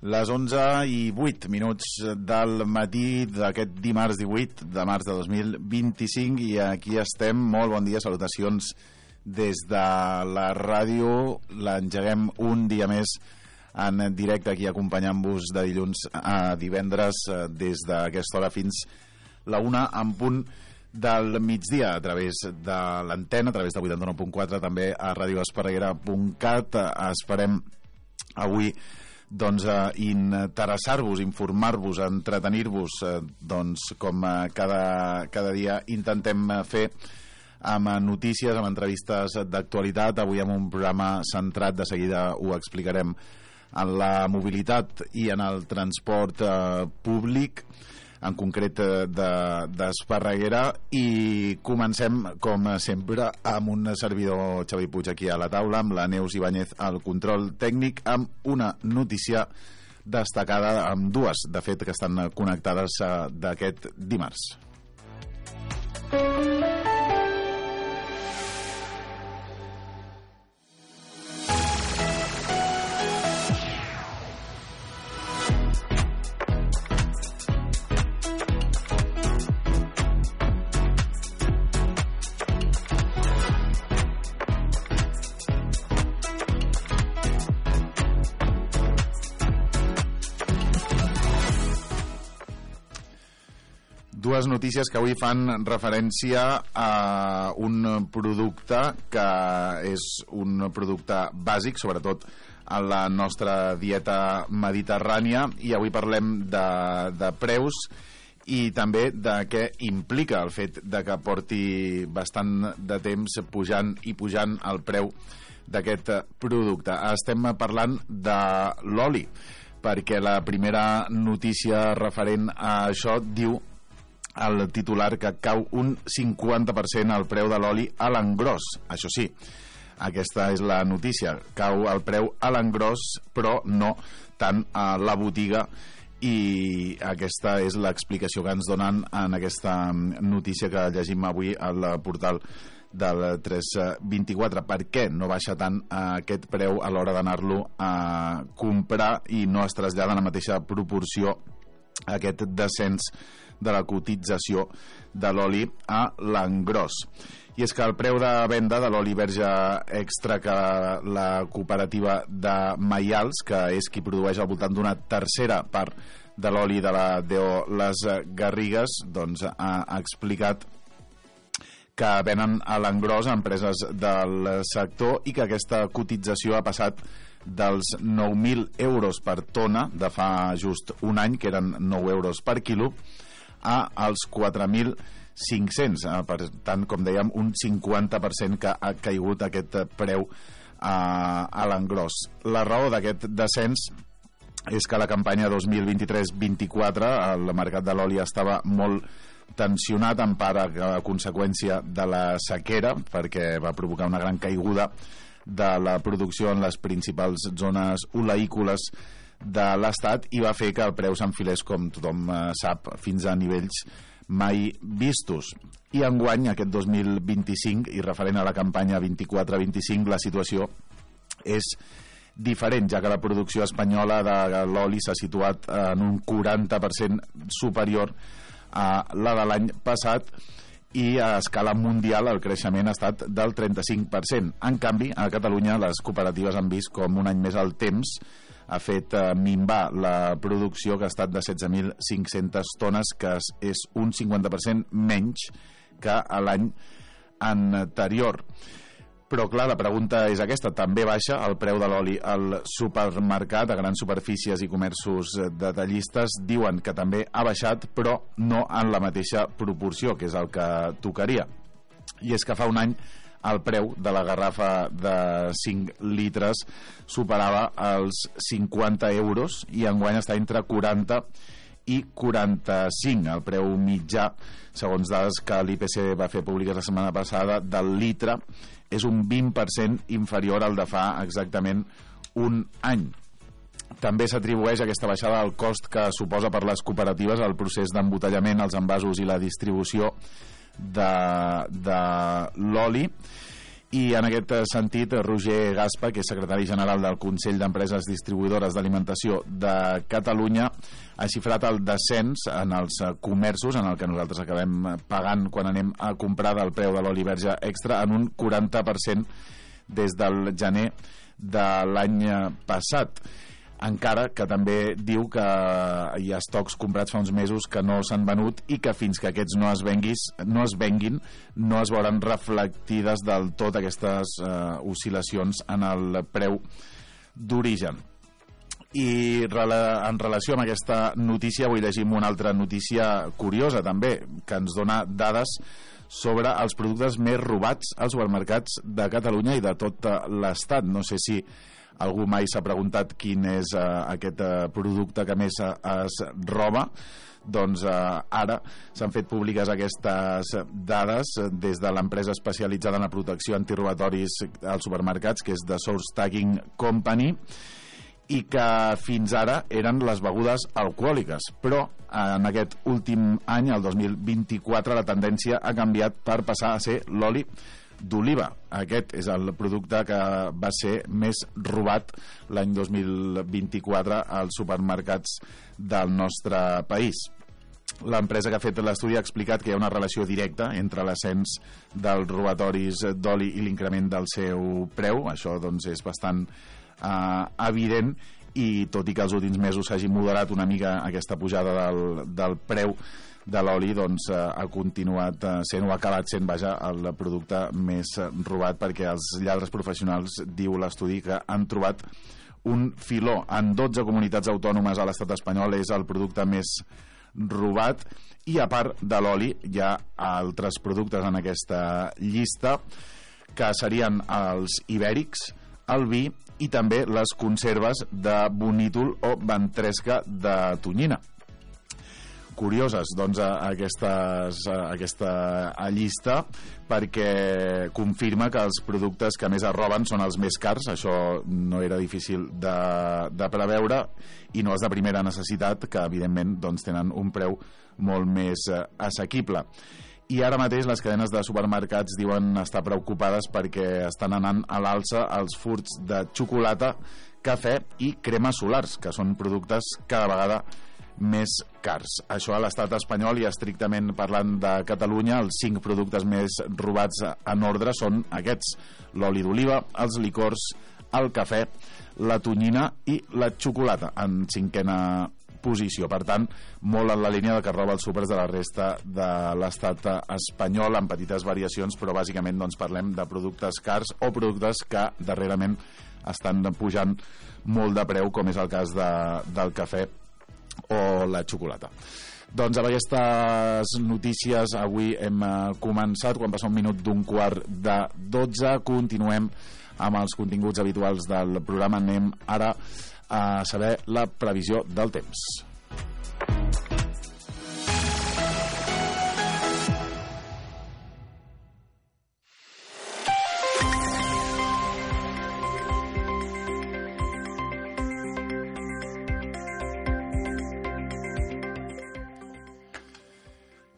Les 11:08 del matí d'aquest dimarts 18 de març de 2025 i aquí estem. Molt bon dia, salutacions des de la ràdio. L'engeguem un dia més en directe aquí acompanyant-vos de dilluns a divendres des d'aquesta hora fins la 1 en punt del migdia a través de l'antena, a través de 89.4, també a radioesparreguera.cat. Esperem avui interessar-vos, informar-vos, entretenir-vos, com cada dia intentem fer amb notícies, amb entrevistes d'actualitat. Avui amb un programa centrat, de seguida ho explicarem, en la mobilitat i en el transport públic, en concret d'Esparreguera, i comencem com sempre amb un servidor, Xavi Puig, aquí a la taula, amb la Neus Ibáñez al control tècnic, amb una notícia destacada, amb dues de fet que estan connectades d'aquest dimarts. Dues notícies que avui fan referència a un producte que és un producte bàsic, sobretot a la nostra dieta mediterrània, i avui parlem de preus i també de què implica el fet de que porti bastant de temps pujant el preu d'aquest producte. Estem parlant de l'oli, perquè la primera notícia referent a això diu el titular que cau un 50% el preu de l'oli a l'engròs. Això sí, aquesta és la notícia, cau el preu a l'engròs, però no tant a la botiga, i aquesta és l'explicació que ens donen en aquesta notícia que llegim avui al portal del 324. Per què no baixa tant aquest preu a l'hora d'anar-lo a comprar i no es trasllada en la mateixa proporció aquest descens de la cotització de l'oli a l'engròs? I és que el preu de venda de l'oli verge extra que la cooperativa de Maials, que és qui produeix al voltant d'una tercera part de l'oli de la DO Les Garrigues, ha explicat que venen a l'engròs a empreses del sector i que aquesta cotització ha passat dels 9.000 euros per tona de fa just un any, que eren 9 euros per quilo, als 4.500. Per tant, com dèiem, un 50% que ha caigut aquest preu a l'engròs. La raó d'aquest descens és que la campanya 2023-24 el mercat de l'oli estava molt tensionat, en part a conseqüència de la sequera, perquè va provocar una gran caiguda de la producció en les principals zones oleícoles de l'Estat, i va fer que el preu s'enfilés, com tothom sap, fins a nivells mai vistos. I enguany, aquest 2025, i referent a la campanya 24-25, la situació és diferent, ja que la producció espanyola de l'oli s'ha situat en un 40% superior a la de l'any passat, i a escala mundial el creixement ha estat del 35%. En canvi, a Catalunya les cooperatives han vist com un any més el temps ha fet minvar la producció, que ha estat de 16.500 tones, que és un 50% menys que l'any anterior. Però clar, la pregunta és aquesta: també baixa el preu de l'oli al supermercat? A grans superfícies i comerços detallistes diuen que també ha baixat, però no en la mateixa proporció, que és el que tocaria. I és que fa un any el preu de la garrafa de 5 litres superava els 50 euros i enguany està entre 40 i 45. El preu mitjà, segons dades que l'IPC va fer públiques la setmana passada, del litre és un 20% inferior al de fa exactament un any. També s'atribueix aquesta baixada al cost que suposa per les cooperatives el procés d'embotellament, els envasos i la distribució de l'oli, I en aquest sentit, Roger Gaspa, que és secretari general del Consell d'Empreses Distribuïdores d'Alimentació de Catalunya, ha xifrat el descens en els comerços, en el que nosaltres acabem pagant quan anem a comprar del preu de l'oli verge extra, en un 40% des del gener de l'any passat. Encara que també diu que hi ha estocs comprats fa uns mesos que no s'han venut i que fins que aquests no es venguin no es veuran reflectides del tot aquestes oscil·lacions en el preu d'origen. I en relació amb aquesta notícia vull llegir una altra notícia curiosa també, que ens dona dades sobre els productes més robats als supermercats de Catalunya i de tot l'Estat. No sé si algú mai s'ha preguntat quin és aquest producte que més es roba. Doncs ara s'han fet públiques aquestes dades des de l'empresa especialitzada en la protecció antirobatoris als supermercats, que és The Source Tagging Company, i que fins ara eren les begudes alcohòliques, però en aquest últim any, el 2024, la tendència ha canviat per passar a ser l'oli d'oliva. Aquest és el producte que va ser més robat l'any 2024 als supermercats del nostre país. L'empresa que ha fet l'estudi ha explicat que hi ha una relació directa entre l'ascens dels robatoris d'oli i l'increment del seu preu. Això doncs és bastant evident, i tot i que els últims mesos s'hagi moderat una mica aquesta pujada del preu de l'oli, doncs ha continuat sent, o ha acabat sent, vaja, el producte més robat, perquè els lladres professionals, diu l'estudi, que han trobat un filó. En 12 comunitats autònomes a l'estat espanyol és el producte més robat, i a part de l'oli hi ha altres productes en aquesta llista, que serien els ibèrics, el vi i també les conserves de bonítol o ventresca de tonyina. Curioses, doncs, aquesta llista, perquè confirma que els productes que més es roben són els més cars. Això no era difícil de preveure, i no és de primera necessitat, que evidentment doncs, tenen un preu molt més assequible. I ara mateix les cadenes de supermercats diuen estar preocupades perquè estan anant a l'alça els furts de xocolata, cafè i cremes solars, que són productes cada vegada més cars. Això a l'estat espanyol, i estrictament parlant de Catalunya, els 5 productes més robats en ordre són aquests: l'oli d'oliva, els licors, el cafè, la tonyina i la xocolata, en 5a posició. Per tant, molt en la línia de que roba els súpers de la resta de l'estat espanyol, amb petites variacions, però bàsicament doncs, parlem de productes cars o productes que darrerament estan pujant molt de preu, com és el cas del cafè o la xocolata. Doncs amb aquestes notícies avui hem començat, quan passa un minut d'un quart de 12. Continuem amb els continguts habituals del programa. Anem ara a saber la previsió del temps.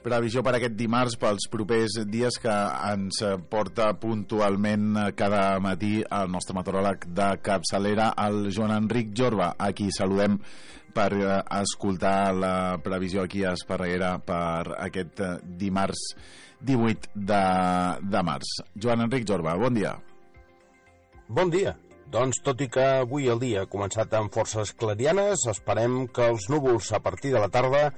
Previsió per aquest dimarts, pels propers dies, que ens porta puntualment cada matí el nostre meteoròleg de capçalera, el Joan Enric Jorba, a qui saludem per escoltar la previsió aquí a Esparreguera per aquest dimarts 18 de març. Joan Enric Jorba, bon dia. Bon dia. Doncs tot i que avui el dia ha començat amb forces clarianes, esperem que els núvols a partir de la tarda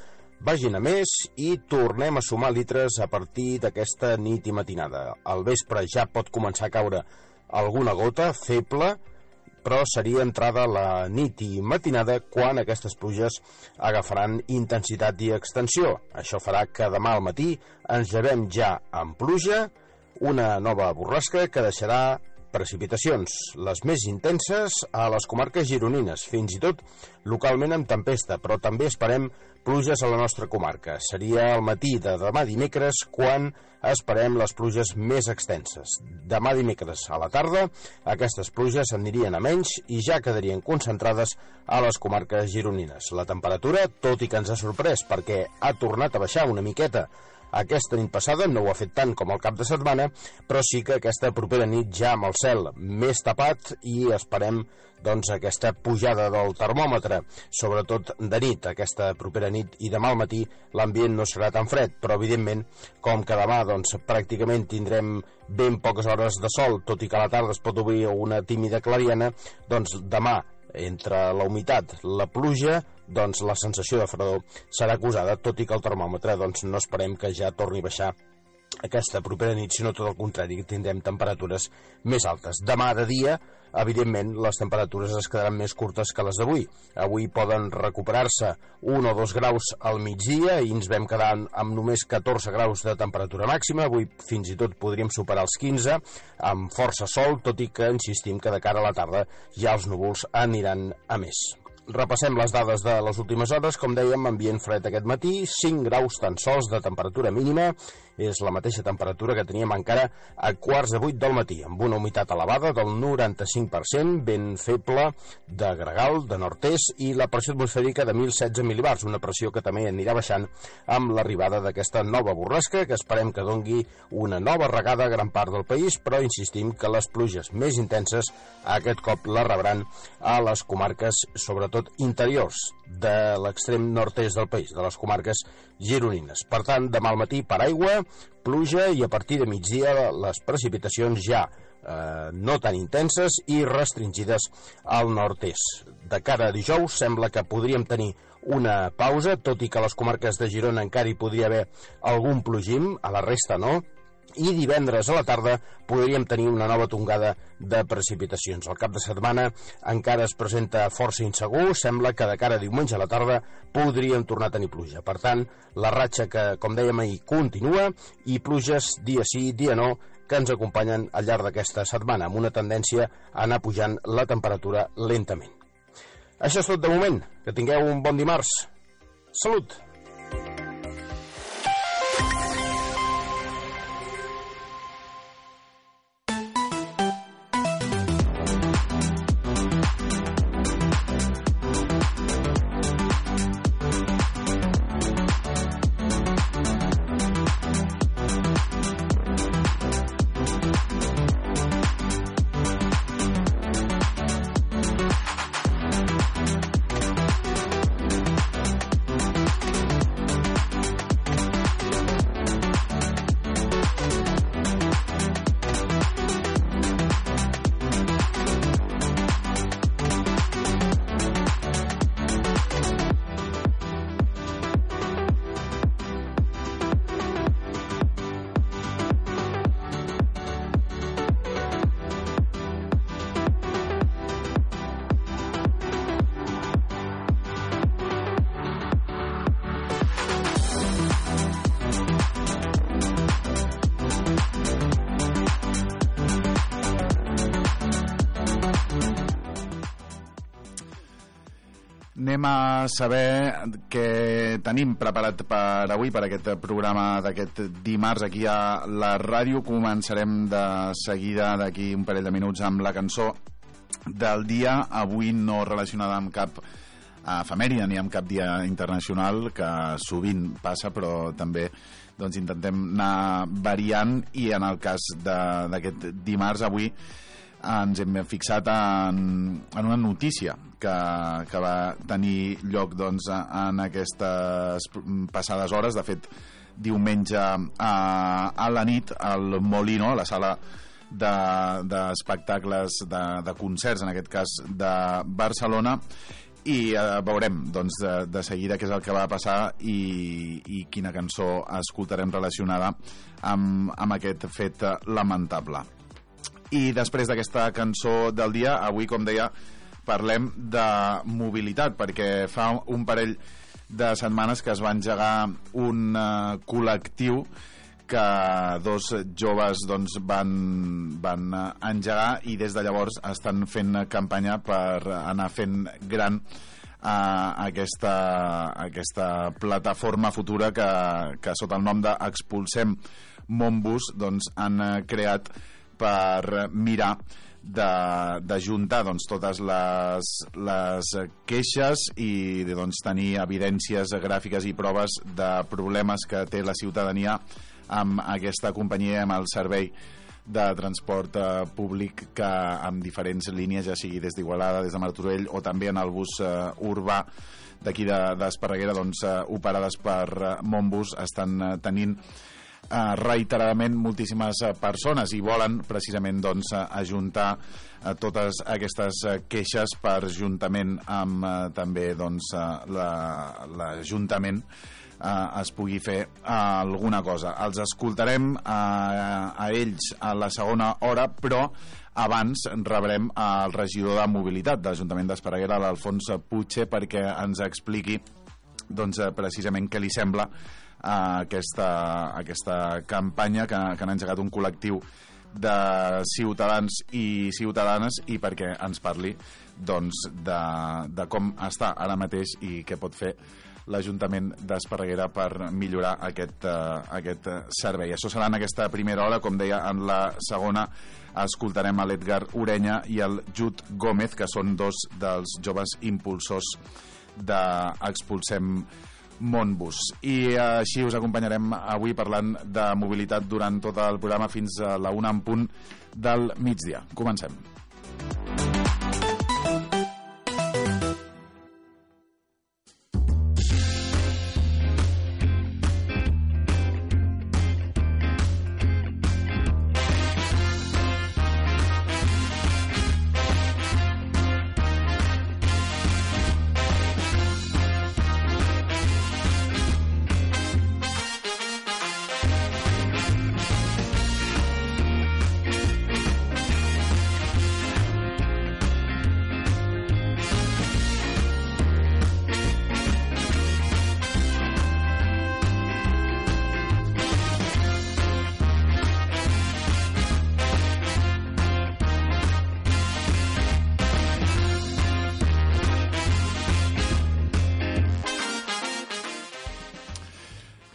vagin a més i tornem a sumar litres a partir d'aquesta nit i matinada. Al vespre ja pot començar a caure alguna gota feble, però seria entrada la nit i matinada quan aquestes pluges agafaran intensitat i extensió. Això farà que demà al matí ens llevem ja amb pluja, una nova borrasca que deixarà precipitacions, les més intenses a les comarques gironines, fins i tot localment amb tempesta, però també esperem pluges a la nostra comarca. Seria al matí de demà dimecres quan esperem les pluges més extenses. Demà dimecres a la tarda aquestes pluges anirien a menys i ja quedarien concentrades a les comarques gironines. La temperatura, tot i que ens ha sorprès perquè ha tornat a baixar una miqueta aquesta nit passada, no ho ha fet tant com el cap de setmana, però sí que aquesta propera nit ja amb el cel més tapat i esperem doncs aquesta pujada del termòmetre, sobretot de nit, aquesta propera nit i demà al matí l'ambient no serà tan fred, però evidentment com que demà doncs pràcticament tindrem ben poques hores de sol, tot i que a la tarda es pot obrir una tímida clariana, doncs demà entre la humitat, la pluja, doncs la sensació de fredor serà acusada, tot i que el termòmetre doncs no esperem que ja torni a baixar aquesta propera nit, sinó tot el contrari, que tindrem temperatures més altes. Demà de dia, evidentment, les temperatures es quedaran més curtes que les d'avui. Avui poden recuperar-se 1 o 2 graus al migdia i ens vam quedar amb només 14 graus de temperatura màxima. Avui fins i tot podríem superar els 15, amb força sol, tot i que insistim que de cara a la tarda ja els núvols aniran a més. Repassem les dades de les últimes hores. Com dèiem, ambient fred aquest matí, 5 graus tan sols de temperatura mínima, és la mateixa temperatura que teníem encara a 7:45 del matí, amb una humitat elevada del 95%, vent feble de gregal, de nord-est, i la pressió atmosfèrica de 1.016 mil·libars, una pressió que també anirà baixant amb l'arribada d'aquesta nova borrasca, que esperem que dongui una nova regada a gran part del país, però insistim que les pluges més intenses aquest cop la rebran a les comarques, sobretot interiors de l'extrem nord-est del país, de les comarques gironines. Per tant, demà al matí paraigua, pluja, i a partir de migdia les precipitacions ja no tan intenses i restringides al nord-est. De cara a dijous sembla que podríem tenir una pausa, tot i que a les comarques de Girona encara hi podria haver algun plogim, a la resta no, i divendres a la tarda podríem tenir una nova tongada de precipitacions. El cap de setmana encara es presenta força insegur, sembla que de cara a diumenge a la tarda podríem tornar a tenir pluja. Per tant, la ratxa que, com dèiem ahir, continua, i pluges dia sí, dia no, que ens acompanyen al llarg d'aquesta setmana, amb una tendència a anar pujant la temperatura lentament. Això és tot de moment. Que tingueu un bon dimarts. Salut! Anem a saber què tenim preparat per avui, per aquest programa d'aquest dimarts aquí a la ràdio. Començarem de seguida, d'aquí un parell de minuts, amb la cançó del dia, avui no relacionada amb cap efemèride ni amb cap dia internacional, que sovint passa, però també doncs intentem anar variant, i en el cas d'aquest dimarts avui ens hem fixat en una notícia que va tenir lloc doncs, en aquestes passades hores. De fet, diumenge a la nit al Molino, a la sala d'espectacles, de concerts, en aquest cas de Barcelona, i veurem doncs, de seguida què és el que va passar i quina cançó escoltarem relacionada amb aquest fet lamentable. I després d'aquesta cançó del dia, avui, com deia, parlem de mobilitat, perquè fa un parell de setmanes que es va engegar un col·lectiu que dos joves doncs, van engegar, i des de llavors estan fent campanya per anar fent gran aquesta plataforma futura que sota el nom d'Expulsem Montbus doncs, han creat per mirar d'ajuntar totes les queixes i tenir evidències gràfiques i proves de problemes que té la ciutadania amb aquesta companyia, amb el servei de transport públic que amb diferents línies, ja sigui des d'Igualada, des de Martorell o també en el bus urbà d'aquí d'Esparreguera, operades per Monbus, estan tenint reiteradament moltíssimes persones i volen precisament ajuntar totes aquestes queixes per, juntament amb també l'Ajuntament, es pugui fer alguna cosa. Els escoltarem a ells a la segona hora, però abans rebrem el regidor de Mobilitat de l'Ajuntament d'Esparreguera, l'Alfons Puche, perquè ens expliqui precisament què li sembla aquesta campanya que han engegat un col·lectiu de ciutadans i ciutadanes, i perquè ens parli de com està ara mateix i què pot fer l'Ajuntament d'Esparreguera per millorar aquest servei. Això serà en aquesta primera hora. Com deia, en la segona escoltarem a l'Edgar Urenya i el Jud Gómez, que són dos dels joves impulsors d'Expulsem Monbus. I així us acompanyarem avui parlant de mobilitat durant tot el programa fins a la 1 en punt del migdia. Comencem.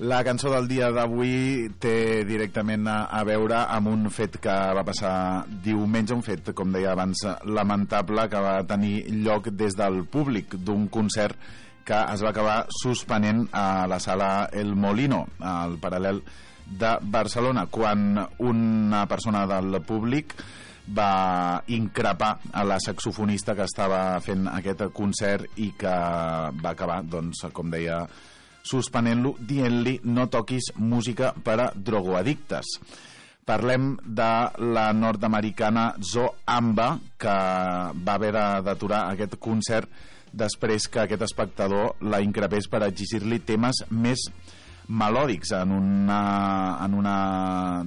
La cançó del dia d'avui té directament a veure amb un fet que va passar diumenge, un fet, com deia abans, lamentable, que va tenir lloc des del públic d'un concert que es va acabar suspenent a la sala El Molino, al Paral·lel de Barcelona, quan una persona del públic va increpar a la saxofonista que estava fent aquest concert i que va acabar, com deia, suspenent-lo, dient-li no toquis música per a drogoaddictes. Parlem de la nord-americana Zo Amba, que va haver d'aturar aquest concert després que aquest espectador la increpés per exigir-li temes més melòdics en una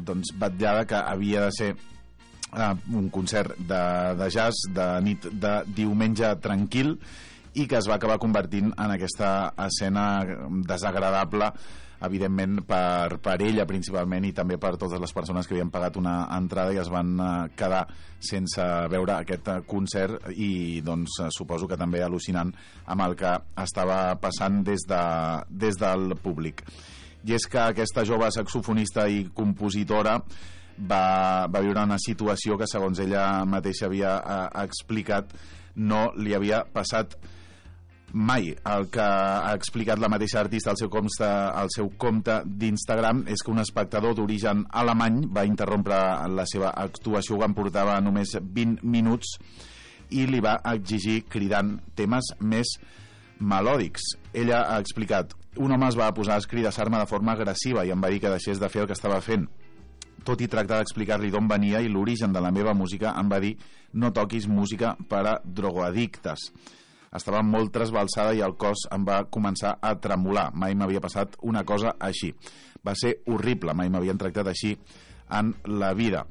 vetllada que havia de ser un concert de jazz de nit de diumenge tranquil, i que es va acabar convertint en aquesta escena desagradable, evidentment per ella principalment, i també per totes les persones que havien pagat una entrada i es van quedar sense veure aquest concert, i suposo que també al·lucinant amb el que estava passant des del públic. I és que aquesta jove saxofonista i compositora va viure una situació que, segons ella mateixa havia explicat, no li havia passat mai. El que ha explicat la mateixa artista al seu compte d'Instagram és que un espectador d'origen alemany va interrompre la seva actuació quan portava només 20 minuts i li va exigir cridant temes més melòdics. Ella ha explicat: un home es va posar a escridassar-me de forma agressiva i em va dir que deixés de fer el que estava fent. Tot i tractar d'explicar-li d'on venia i l'origen de la meva música, em va dir no toquis música per a drogoaddictes. Estava molt trasbalsada i el cos em va començar a tremolar. Mai m'havia passat una cosa així. Va ser horrible, mai m'havien tractat així en la vida.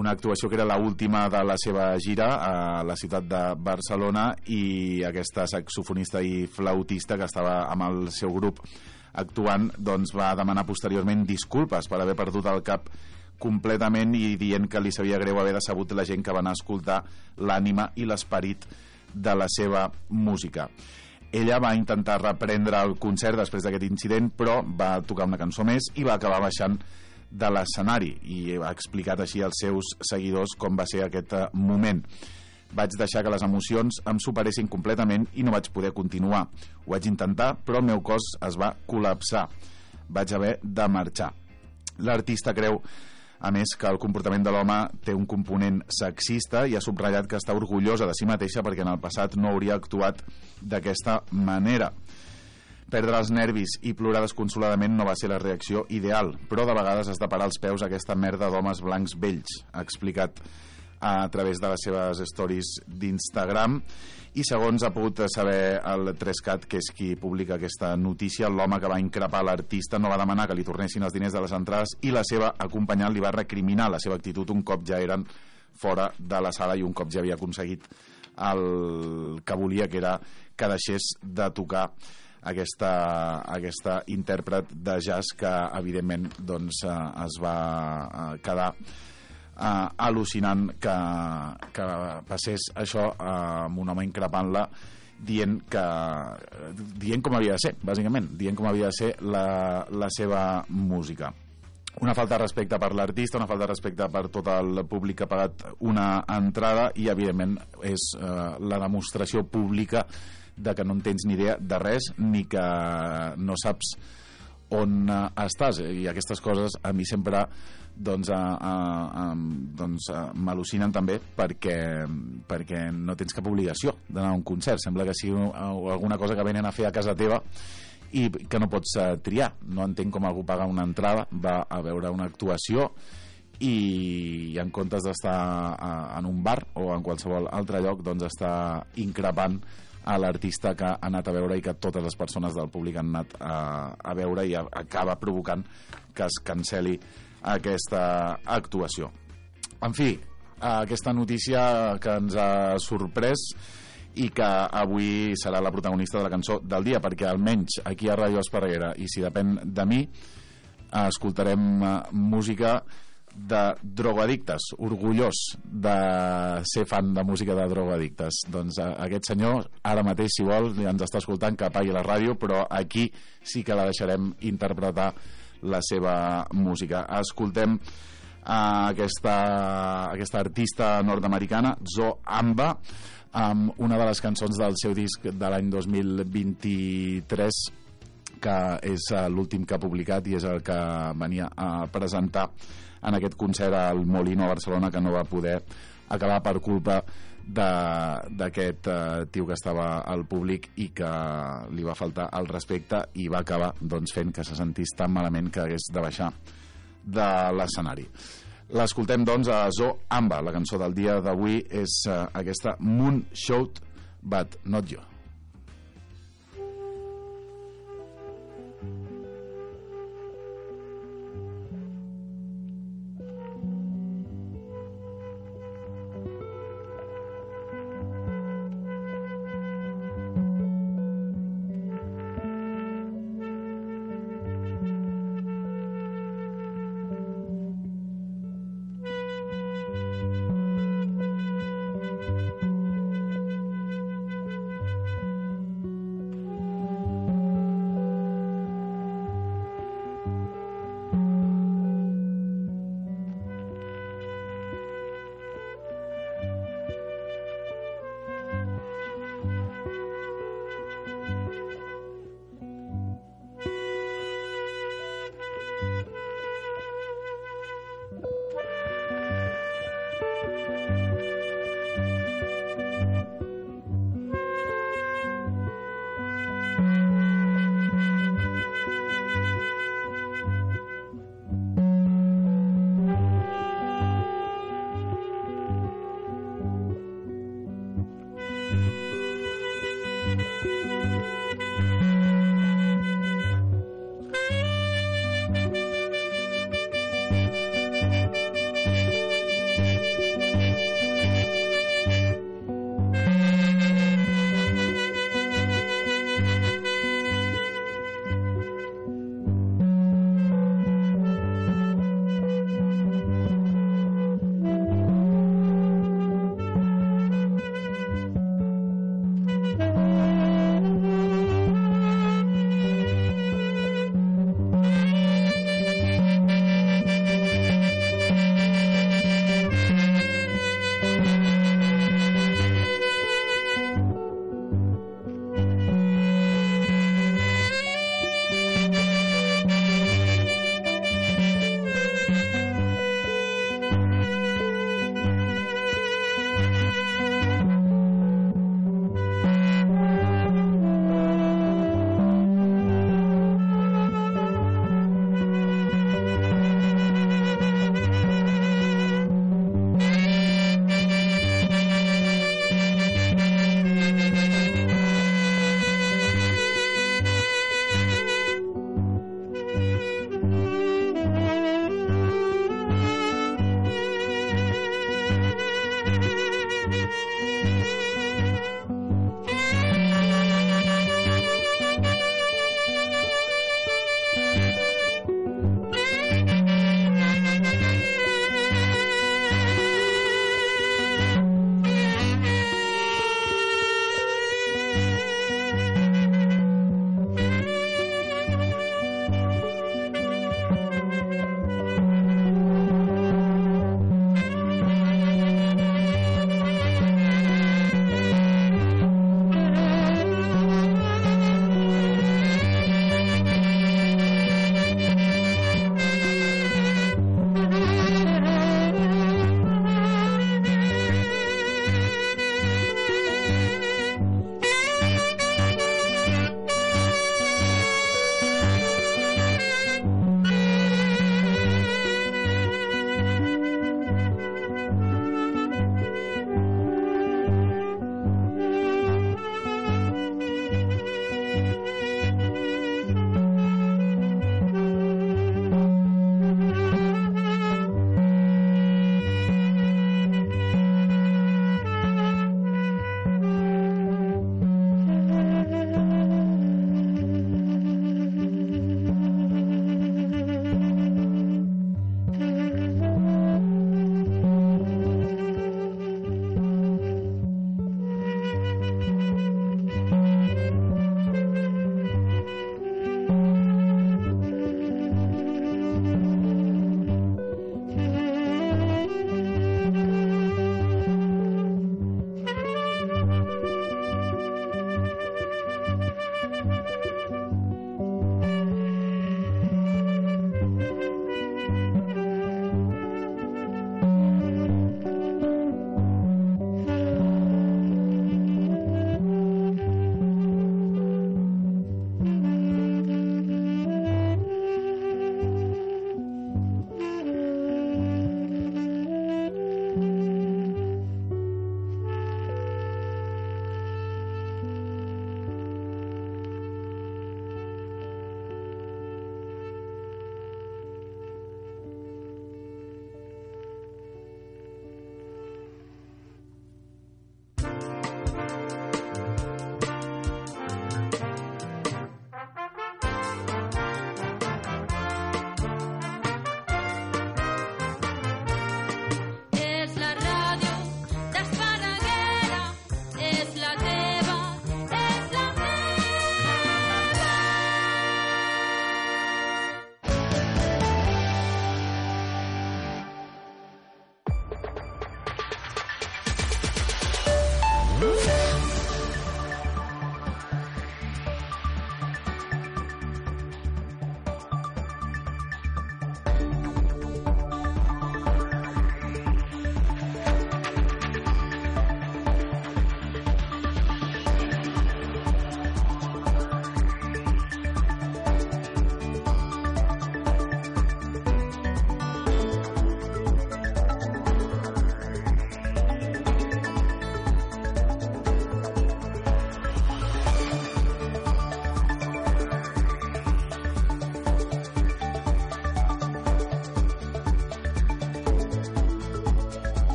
Una actuació que era l'última de la seva gira a la ciutat de Barcelona, i aquesta saxofonista i flautista que estava amb el seu grup actuant va demanar posteriorment disculpes per haver perdut el cap completament i dient que li sabia greu haver decebut la gent que va anar a escoltar l'ànima i l'esperit de la seva música. Ella va intentar reprendre el concert després d'aquest incident, però va tocar una cançó més i va acabar baixant de l'escenari, i ha explicat així als seus seguidors com va ser aquest moment. Vaig deixar que les emocions em superessin completament i no vaig poder continuar. Ho vaig intentar, però el meu cos es va col·lapsar. Vaig haver de marxar. L'artista creu, a més, que el comportament de l'home té un component sexista i ha subratllat que està orgullosa de si mateixa perquè en el passat no hauria actuat d'aquesta manera. Perdre els nervis i plorar desconsoladament no va ser la reacció ideal, però de vegades has de parar els peus a aquesta merda d'homes blancs vells, ha explicat a través de les seves stories d'Instagram. I segons ha pogut saber el 3CAT, que és qui publica aquesta notícia, l'home que va increpar l'artista no va demanar que li tornessin els diners de les entrades i la seva acompanyant li va recriminar la seva actitud un cop ja eren fora de la sala i un cop ja havia aconseguit el que volia, que era que deixés de tocar aquesta intèrpret de jazz que evidentment doncs, es va quedar al·lucinant que passés això amb un home increpant-la dient com havia de ser, bàsicament, dient com havia de ser la seva música. Una falta de respecte per l'artista, una falta de respecte per tot el públic que ha pagat una entrada i evidentment és la demostració pública de que no en tens ni idea de res ni que no saps on estàs, i aquestes coses a mi sempre m'al·lucinen també perquè no tens cap obligació d'anar a un concert. Sembla que sigui alguna cosa que venen a fer a casa teva i que no pots triar. No entenc com algú paga una entrada, va a veure una actuació i en comptes d'estar en un bar o en qualsevol altre lloc doncs està increpant a l'artista que ha anat a veure i que totes les persones del públic han anat a veure, i acaba provocant que es cancel·li aquesta actuació. En fi, aquesta notícia que ens ha sorprès i que avui serà la protagonista de la cançó del dia, perquè almenys aquí a Ràdio Esparreguera, i si depèn de mi, escoltarem música de drogoaddictes, orgullós de ser fan de música de drogoaddictes. Doncs aquest senyor ara mateix, si vol, ens està escoltant, que apagui la ràdio, però aquí sí que la deixarem interpretar la seva música. Escoltem aquesta artista nord-americana, Zo Amba, amb una de les cançons del seu disc de l'any 2023, que és l'últim que ha publicat i és el que venia a presentar en aquest concert al Molino a Barcelona, que no va poder acabar per culpa d'aquest tio que estava al públic i que li va faltar el respecte i va acabar doncs, fent que se sentís tan malament que hagués de baixar de l'escenari. L'escoltem doncs a Zo Amba. La cançó del dia d'avui és aquesta Moonshot But Not You.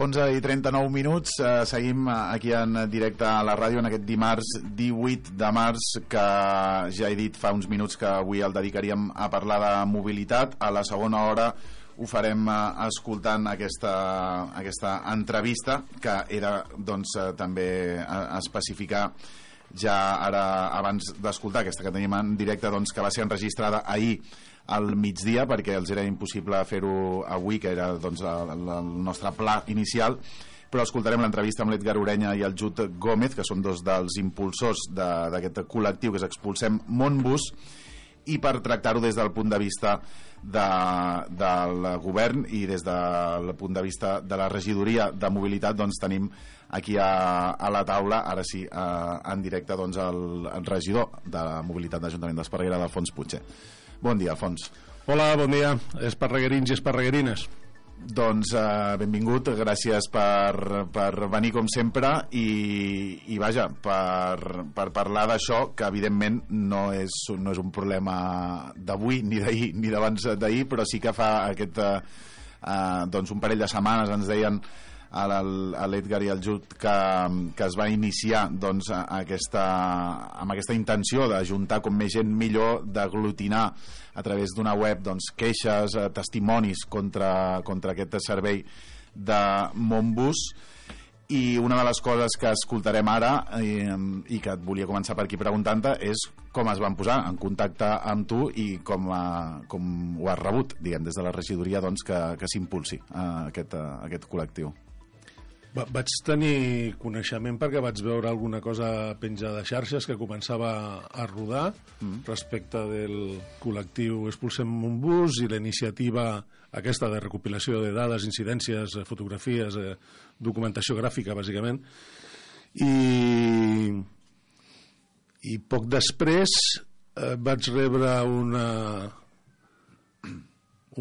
11:39, seguim aquí en directe a la ràdio en aquest dimarts 18 de març, que ja he dit fa uns minuts que avui el dedicaríem a parlar de mobilitat. A la segona hora ho farem escoltant aquesta entrevista, que era doncs també especificar ja ara, abans d'escoltar aquesta que tenim en directe, doncs, que va ser enregistrada ahir al migdia, perquè els era impossible fer-ho avui, que era doncs, el nostre pla inicial, però escoltarem l'entrevista amb l'Edgar Orenya i el Jut Gómez, que són dos dels impulsors d'aquest col·lectiu que és Expulsem Montbus, i per tractar-ho des del punt de vista del govern i des del punt de vista de la regidoria de mobilitat, doncs tenim aquí a la taula, ara sí, en directe, doncs, el regidor de mobilitat de l'Ajuntament d'Esparreguera, d'Alfons Puig. Bon dia, Alfons. Hola, bon dia, esparreguerins i esparreguerines. Doncs benvingut, gràcies per venir com sempre i vaja, per parlar d'això, que evidentment no és un problema d'avui, ni d'ahir, ni d'abans d'ahir, però sí que fa doncs un parell de setmanes ens deien a l'Edgar i al Jut que es va iniciar doncs, amb aquesta intenció d'ajuntar com més gent millor, d'aglutinar a través d'una web doncs, queixes, testimonis contra aquest servei de Montbus. I una de les coses que escoltarem ara i que et volia començar per aquí preguntant-te és com es van posar en contacte amb tu i com ho has rebut, diguem, des de la regidoria, doncs, que s'impulsi aquest col·lectiu. Vaig tenir coneixement perquè vaig veure alguna cosa penjada de xarxes que començava a rodar respecte del col·lectiu Expulsem Montbus i la iniciativa aquesta de recopilació de dades, incidències, fotografies, documentació gràfica, bàsicament. I poc després vaig rebre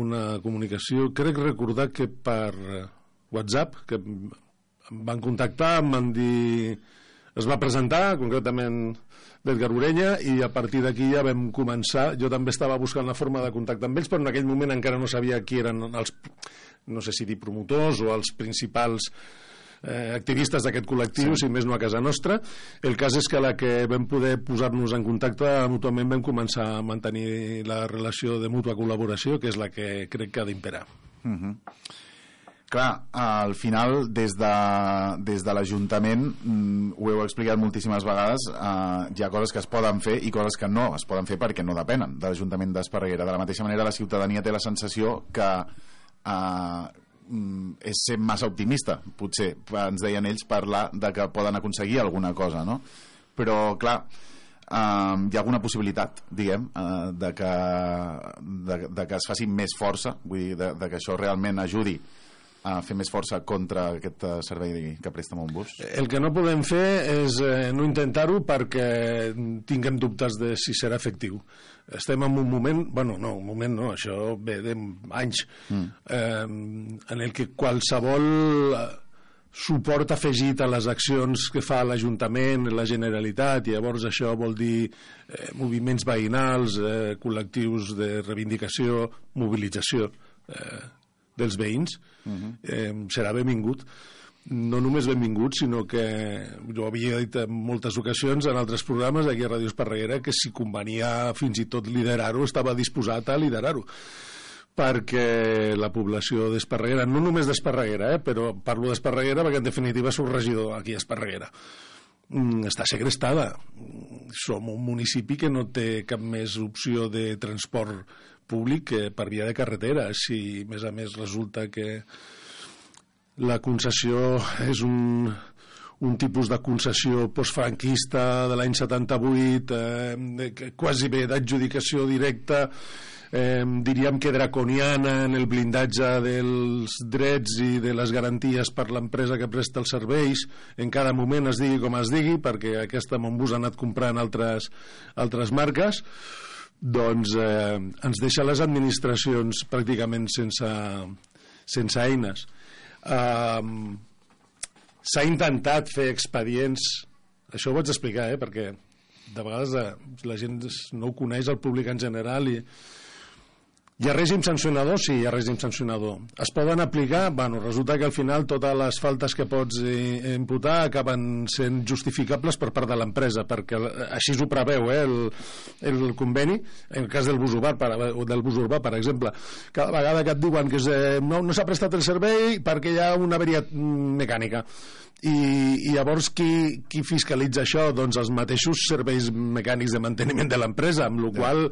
una comunicació, crec recordar que per WhatsApp, que em van contactar, em van dir, es va presentar concretament l'Edgar Orenya, i a partir d'aquí ja vam començar. Jo també estava buscant la forma de contactar amb ells, però en aquell moment encara no sabia qui eren els, no sé si dir promotors o els principals activistes d'aquest col·lectiu, sí. Si més no a casa nostra. El cas és que a la que vam poder posar-nos en contacte mútuament vam començar a mantenir la relació de mútua col·laboració, que és la que crec que ha d'imperar. Clar, al final, des de l'Ajuntament, ho heu explicat moltíssimes vegades, hi ha coses que es poden fer i coses que no es poden fer perquè no depenen de l'Ajuntament d'Esparreguera. De la mateixa manera, la ciutadania té la sensació que és ser massa optimista, potser, ens deien ells, parlar de que poden aconseguir alguna cosa, no? Però, clar, hi ha alguna possibilitat, diguem, de que es faci més força, vull dir, de que això realment ajudi a fer més força contra aquest servei que presta Montbus? El que no podem fer és no intentar-ho perquè tinguem dubtes de si serà efectiu. Estem en un moment, això ve d'anys, en el que qualsevol suport afegit a les accions que fa l'Ajuntament, la Generalitat, i llavors això vol dir moviments veïnals, col·lectius de reivindicació, mobilització dels veïns, serà benvingut. No només benvingut, sinó que jo havia dit en moltes ocasions en altres programes aquí a Ràdio Esparreguera que si convenia fins i tot liderar-ho, estava disposat a liderar-ho, perquè la població d'Esparreguera, no només d'Esparreguera, però parlo d'Esparreguera perquè en definitiva soc regidor aquí a Esparreguera, està segrestada. Som un municipi que no té cap més opció de transport públic que per via de carretera. Si a més resulta que la concessió és un tipus de concessió postfranquista de l'any 78, quasi bé d'adjudicació directa, diríem que draconiana en el blindatge dels drets i de les garanties per l'empresa que presta els serveis, en cada moment es digui com es digui, perquè aquesta Montbus ha anat comprant altres marques, doncs ens deixa les administracions pràcticament sense eines. S'ha intentat fer expedients, això ho vaig explicar, perquè de vegades la gent no ho coneix, el públic en general, i Hi ha règim sancionador? Sí, hi ha règim sancionador. Es poden aplicar? Bueno, resulta que al final totes les faltes que pots imputar acaben sent justificables per part de l'empresa, perquè així ho preveu el conveni. En el cas del bus urbà, per exemple, cada vegada que et diuen que no s'ha prestat el servei perquè hi ha una avaria mecànica. I llavors qui fiscalitza això? Doncs els mateixos serveis mecànics de manteniment de l'empresa, amb la qual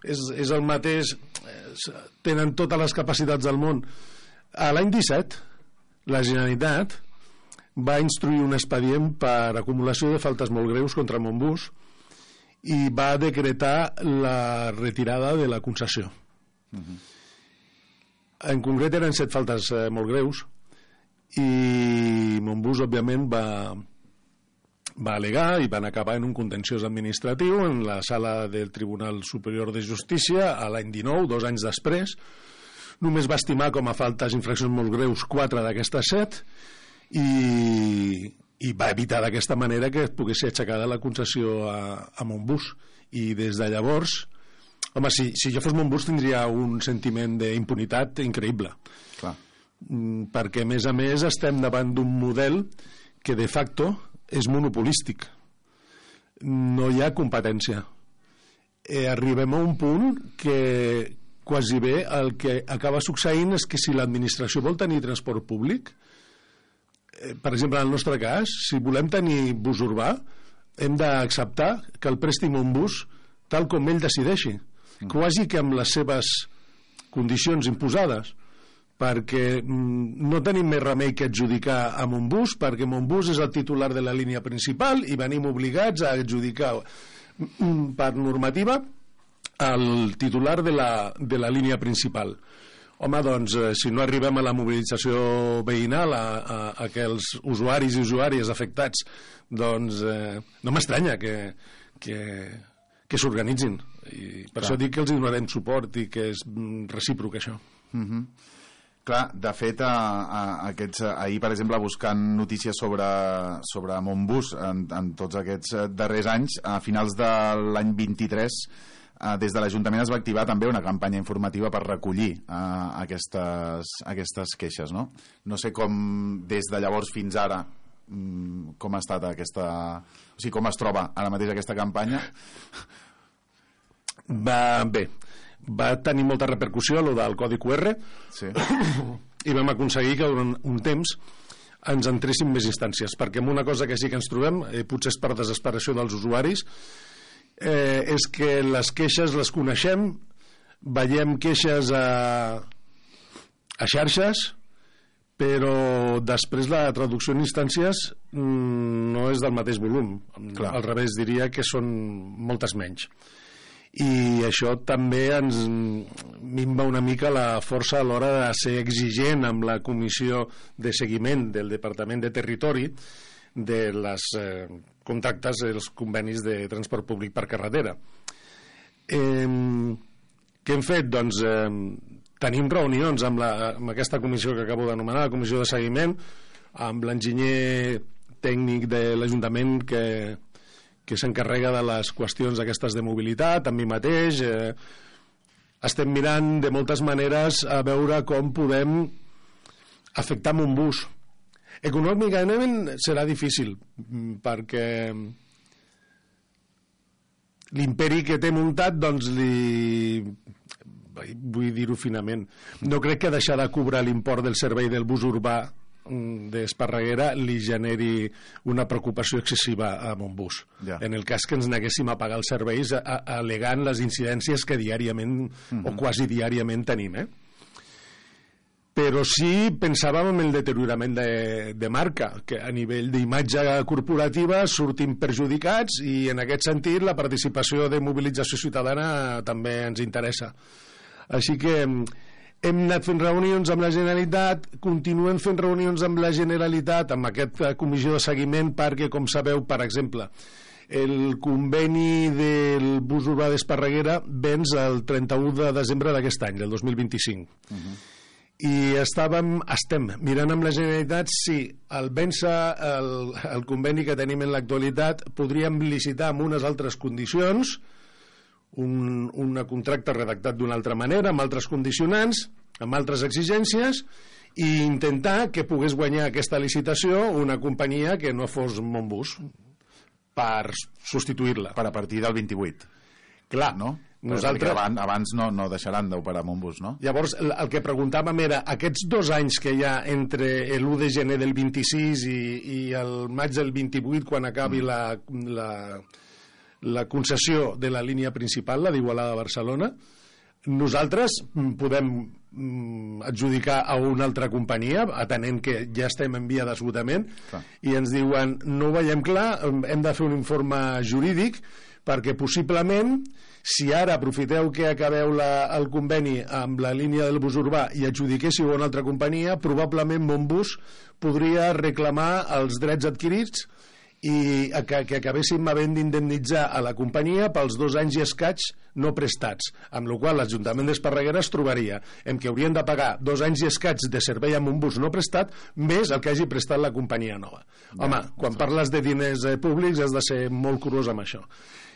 és el mateix, tenen totes les capacitats del món. A l'any 17 la Generalitat va instruir un expedient per acumulació de faltes molt greus contra Montbus i va decretar la retirada de la concessió. En concret eren 7 faltes molt greus i Montbus òbviament va al·legar i van acabar en un contenciós administratiu en la sala del Tribunal Superior de Justícia a l'any 19, 2 anys després. Només va estimar com a faltes infraccions molt greus 4 d'aquestes 7 i va evitar d'aquesta manera que pogués ser aixecada la concessió a Montbus. I des de llavors, home, si jo fos Montbus tindria un sentiment d'impunitat increïble. Clar. Perquè a més estem davant d'un model que de facto és monopolístic, no hi ha competència. Arribem a un punt que quasi bé el que acaba succeint és que si l'administració vol tenir transport públic, per exemple en el nostre cas, si volem tenir bus urbà hem d'acceptar que el presti Montbus tal com ell decideixi, quasi que amb les seves condicions imposades, perquè no tenim més remei que adjudicar a Montbus, perquè Montbus és el titular de la línia principal i venim obligats a adjudicar per normativa el titular de la línia principal. Home, doncs, si no arribem a la mobilització veïnal, a que els usuaris i usuàries afectats, doncs no m'estranya que s'organitzin. I per això dic que els donarem suport i que és recíproc això. Clar, de fet, ahir, per exemple, buscant notícies sobre Montbus en tots aquests darrers anys, a finals de l'any 23, des de l'Ajuntament es va activar també una campanya informativa per recollir aquestes queixes, no? No sé com, des de llavors fins ara, com ha estat aquesta... O sigui, com es troba ara mateix aquesta campanya? Bé, va tenir molta repercussió allò del codi QR, sí. I vam aconseguir que durant un temps ens entressin més instàncies, perquè amb una cosa que sí que ens trobem, potser és per desesperació dels usuaris, és que les queixes les coneixem, veiem queixes a xarxes, però després la traducció en instàncies no és del mateix volum. Clar. Al revés, diria que són moltes menys. I això també ens minva una mica la força a l'hora de ser exigent amb la comissió de seguiment del Departament de Territori de les contractes, els convenis de transport públic per carretera. Què hem fet? Doncs tenim reunions amb aquesta comissió que acabo d'anomenar, la comissió de seguiment, amb l'enginyer tècnic de l'Ajuntament que s'encarrega de les qüestions aquestes de mobilitat, amb mi mateix. Estem mirant de moltes maneres a veure com podem afectar Montbus. Econòmicament serà difícil, perquè l'imperi que té muntat, doncs vull dir-ho finament, no crec que deixar de cobrar l'import del servei del bus urbà d'Esparreguera li generi una preocupació excessiva a Montbus. Ja. En el cas que ens neguéssim a pagar els serveis al·legant les incidències que diàriament o quasi diàriament tenim. Però sí pensàvem en el deteriorament de marca, que a nivell d'imatge corporativa sortim perjudicats, i en aquest sentit la participació de mobilització ciutadana també ens interessa. Així que hem anat fent reunions amb la Generalitat, continuem fent reunions amb la Generalitat, amb aquesta comissió de seguiment, perquè, com sabeu, per exemple, el conveni del bus urbà d'Esparreguera venç el 31 de desembre d'aquest any, del 2025. I estem mirant amb la Generalitat si al vèncer el conveni que tenim en l'actualitat podríem licitar amb unes altres condicions un contracte redactat d'una altra manera, amb altres condicionants, amb altres exigències, i intentar que pogués guanyar aquesta licitació una companyia que no fos Monbus per substituir-la. Per a partir del 28. Clar, no? Nosaltres... Abans no deixaran d'operar Monbus, no? Llavors, el que preguntàvem era, aquests 2 anys que hi ha entre l'1 de gener del 26 i el maig del 28, quan acabi la concessió de la línia principal, la d'Igualada a Barcelona, nosaltres podem adjudicar a una altra companyia, atenent que ja estem en via d'esgotament, i ens diuen, no ho veiem clar, hem de fer un informe jurídic, perquè possiblement, si ara aprofiteu que acabeu el conveni amb la línia del bus urbà i adjudiquéssiu a una altra companyia, probablement Monbus podria reclamar els drets adquirits i que acabéssim havent d'indemnitzar a la companyia pels 2 anys i escaig no prestats, amb la qual l'Ajuntament d'Esparreguera es trobaria en què haurien de pagar 2 anys i escaig de servei amb un bus no prestat més el que hagi prestat la companyia nova. Home, quan parles de diners públics has de ser molt curós amb això.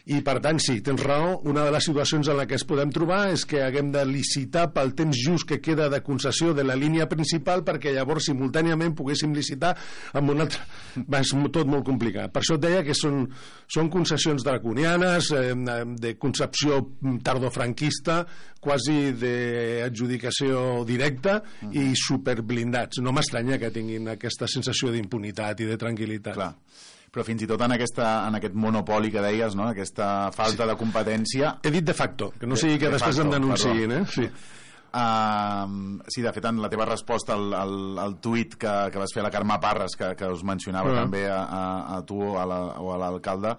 I per tant, sí, tens raó, una de les situacions en la que es podem trobar és que haguem de licitar pel temps just que queda de concessió de la línia principal perquè llavors simultàniament poguéssim licitar amb una altra... És tot molt complicat. Per això et deia que són concessions draconianes, de concepció tardofranquista, quasi d'adjudicació directa i superblindats. No m'estranya que tinguin aquesta sensació d'impunitat i de tranquil·litat. Clar. Però fins i tot en aquest monopoli que deies, no? Aquesta falta de competència... He dit de facto, que no sigui que després em denunciïn, Sí. Sí, de fet, en la teva resposta al tuit que vas fer a la Carme Parres, que us mencionava també a tu o a l'alcalde,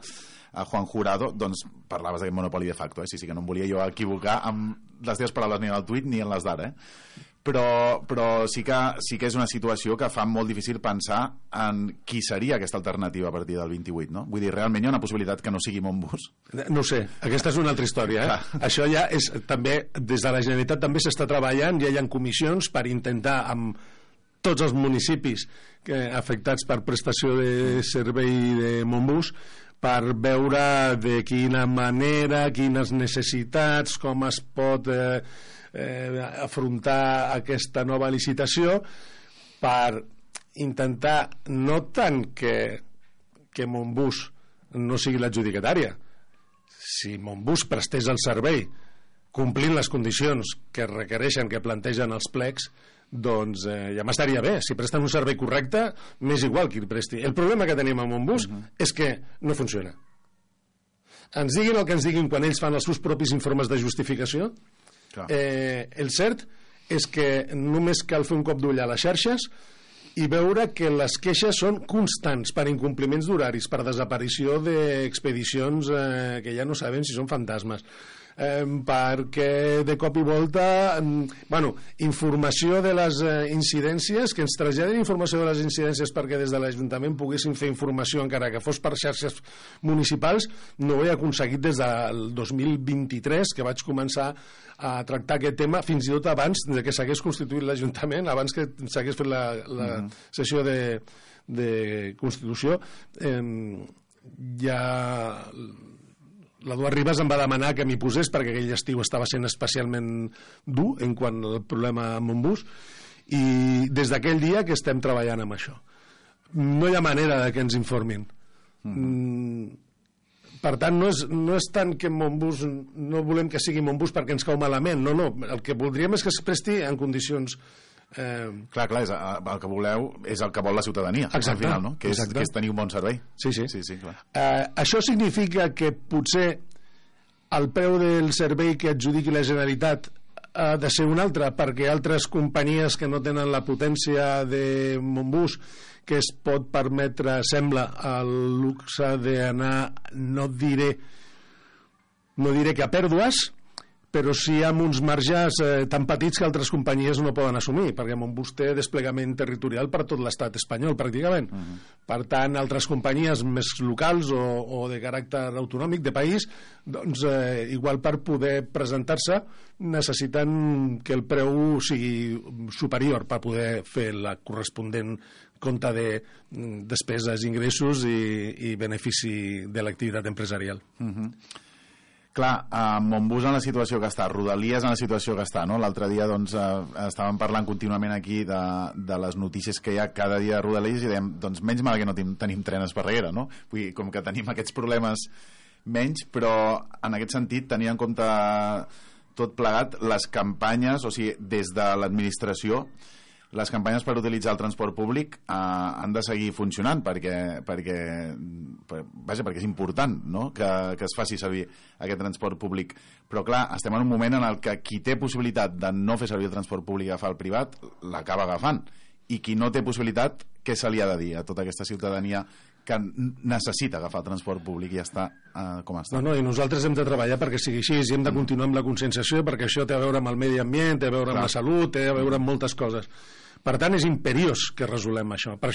a Juan Jurado, doncs parlaves d'aquest monopoli de facto, Sí, que no em volia jo equivocar amb les teves paraules ni en el tuit ni en les d'ara, Però sí que és una situació que fa molt difícil pensar en qui seria aquesta alternativa a partir del 28, no? Vull dir, realment hi ha una possibilitat que no sigui Monbus? No ho sé, aquesta és una altra història, Això ja és també, des de la Generalitat també s'està treballant, ja hi ha comissions per intentar amb tots els municipis afectats per prestació de servei de Monbus per veure de quina manera, quines necessitats, com es pot afrontar aquesta nova licitació per intentar no tant que Monbus no sigui l'adjudicatària. Si Monbus prestés el servei complint les condicions que requereixen, que plantegen els plecs, doncs ja m'estaria bé. Si presten un servei correcte, m'és igual qui el presti. El problema que tenim amb Monbus és que no funciona. Ens diguin el que ens diguin quan ells fan els seus propis informes de justificació. El cert és que només cal fer un cop d'ull a les xarxes i veure que les queixes són constants per incompliments d'horaris, per desaparició d'expedicions que ja no sabem si són fantasmes, perquè de cop i volta informació de les incidències, que ens traslladin informació de les incidències perquè des de l'Ajuntament poguéssim fer informació encara que fos per xarxes municipals. No ho he aconseguit des del 2023 que vaig començar a tractar aquest tema, fins i tot abans de que s'hagués constituït l'Ajuntament, abans que s'hagués fet la sessió de Constitució. Ja l'Eduard Ribas em va demanar que m'hi posés perquè aquell estiu estava sent especialment dur en quant al problema amb Monbus, i des d'aquell dia que estem treballant amb això. No hi ha manera de que ens informin. Per tant, no és tant que Monbus, no volem que sigui Monbus perquè ens cau malament, no, el que voldríem és que es presti en condicions... Clar, el que voleu és el que vol la ciutadania. Exacte, al final, no? Que és tenir un bon servei. Sí, clar. Això significa que potser el preu del servei que adjudiqui la Generalitat ha de ser un altre, perquè altres companyies que no tenen la potència de Monbus, que es pot permetre, sembla, el luxe d'anar, no diré que a pèrdues, però sí amb uns marges tan petits que altres companyies no poden assumir, perquè Monbus té desplegament territorial per tot l'estat espanyol, pràcticament. Per tant, altres companyies més locals o de caràcter autonòmic, de país, doncs igual per poder presentar-se necessiten que el preu sigui superior per poder fer la corresponent compte de despeses, ingressos i benefici de l'activitat empresarial. Clar, Montbus en la situació que està, Rodalies en la situació que està, no? L'altre dia doncs, estàvem parlant contínuament aquí de les notícies que hi ha cada dia a Rodalies i dèiem, doncs menys mal que no tenim tren a Esparreguera, no? Vull dir, com que tenim aquests problemes menys, però en aquest sentit tenir en compte tot plegat les campanyes, o sigui, des de l'administració, les campanyes per utilitzar el transport públic han de seguir funcionant perquè és important, no? que es faci servir aquest transport públic, però clar, estem en un moment en el que qui té possibilitat de no fer servir el transport públic i agafar el privat l'acaba agafant, i qui no té possibilitat, què se li ha de dir a tota aquesta ciutadania que necessita agafar el transport públic i ja està com està? No, i nosaltres hem de treballar perquè sigui així, i hem de continuar amb la conscienciació, perquè això té a veure amb el medi ambient, té a veure amb la salut, té a veure amb moltes coses. Per tant, és imperiós que resolem això. Per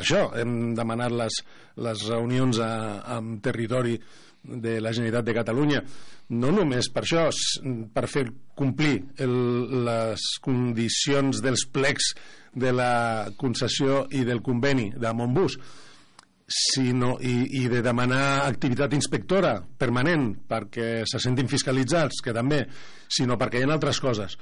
això hem demanat les reunions amb territori de la Generalitat de Catalunya. No només per això, per fer complir les condicions dels plecs de la concessió i del conveni de Montbus, i de demanar activitat inspectora permanent perquè se sentin fiscalitzats, que també, sinó perquè hi ha altres coses.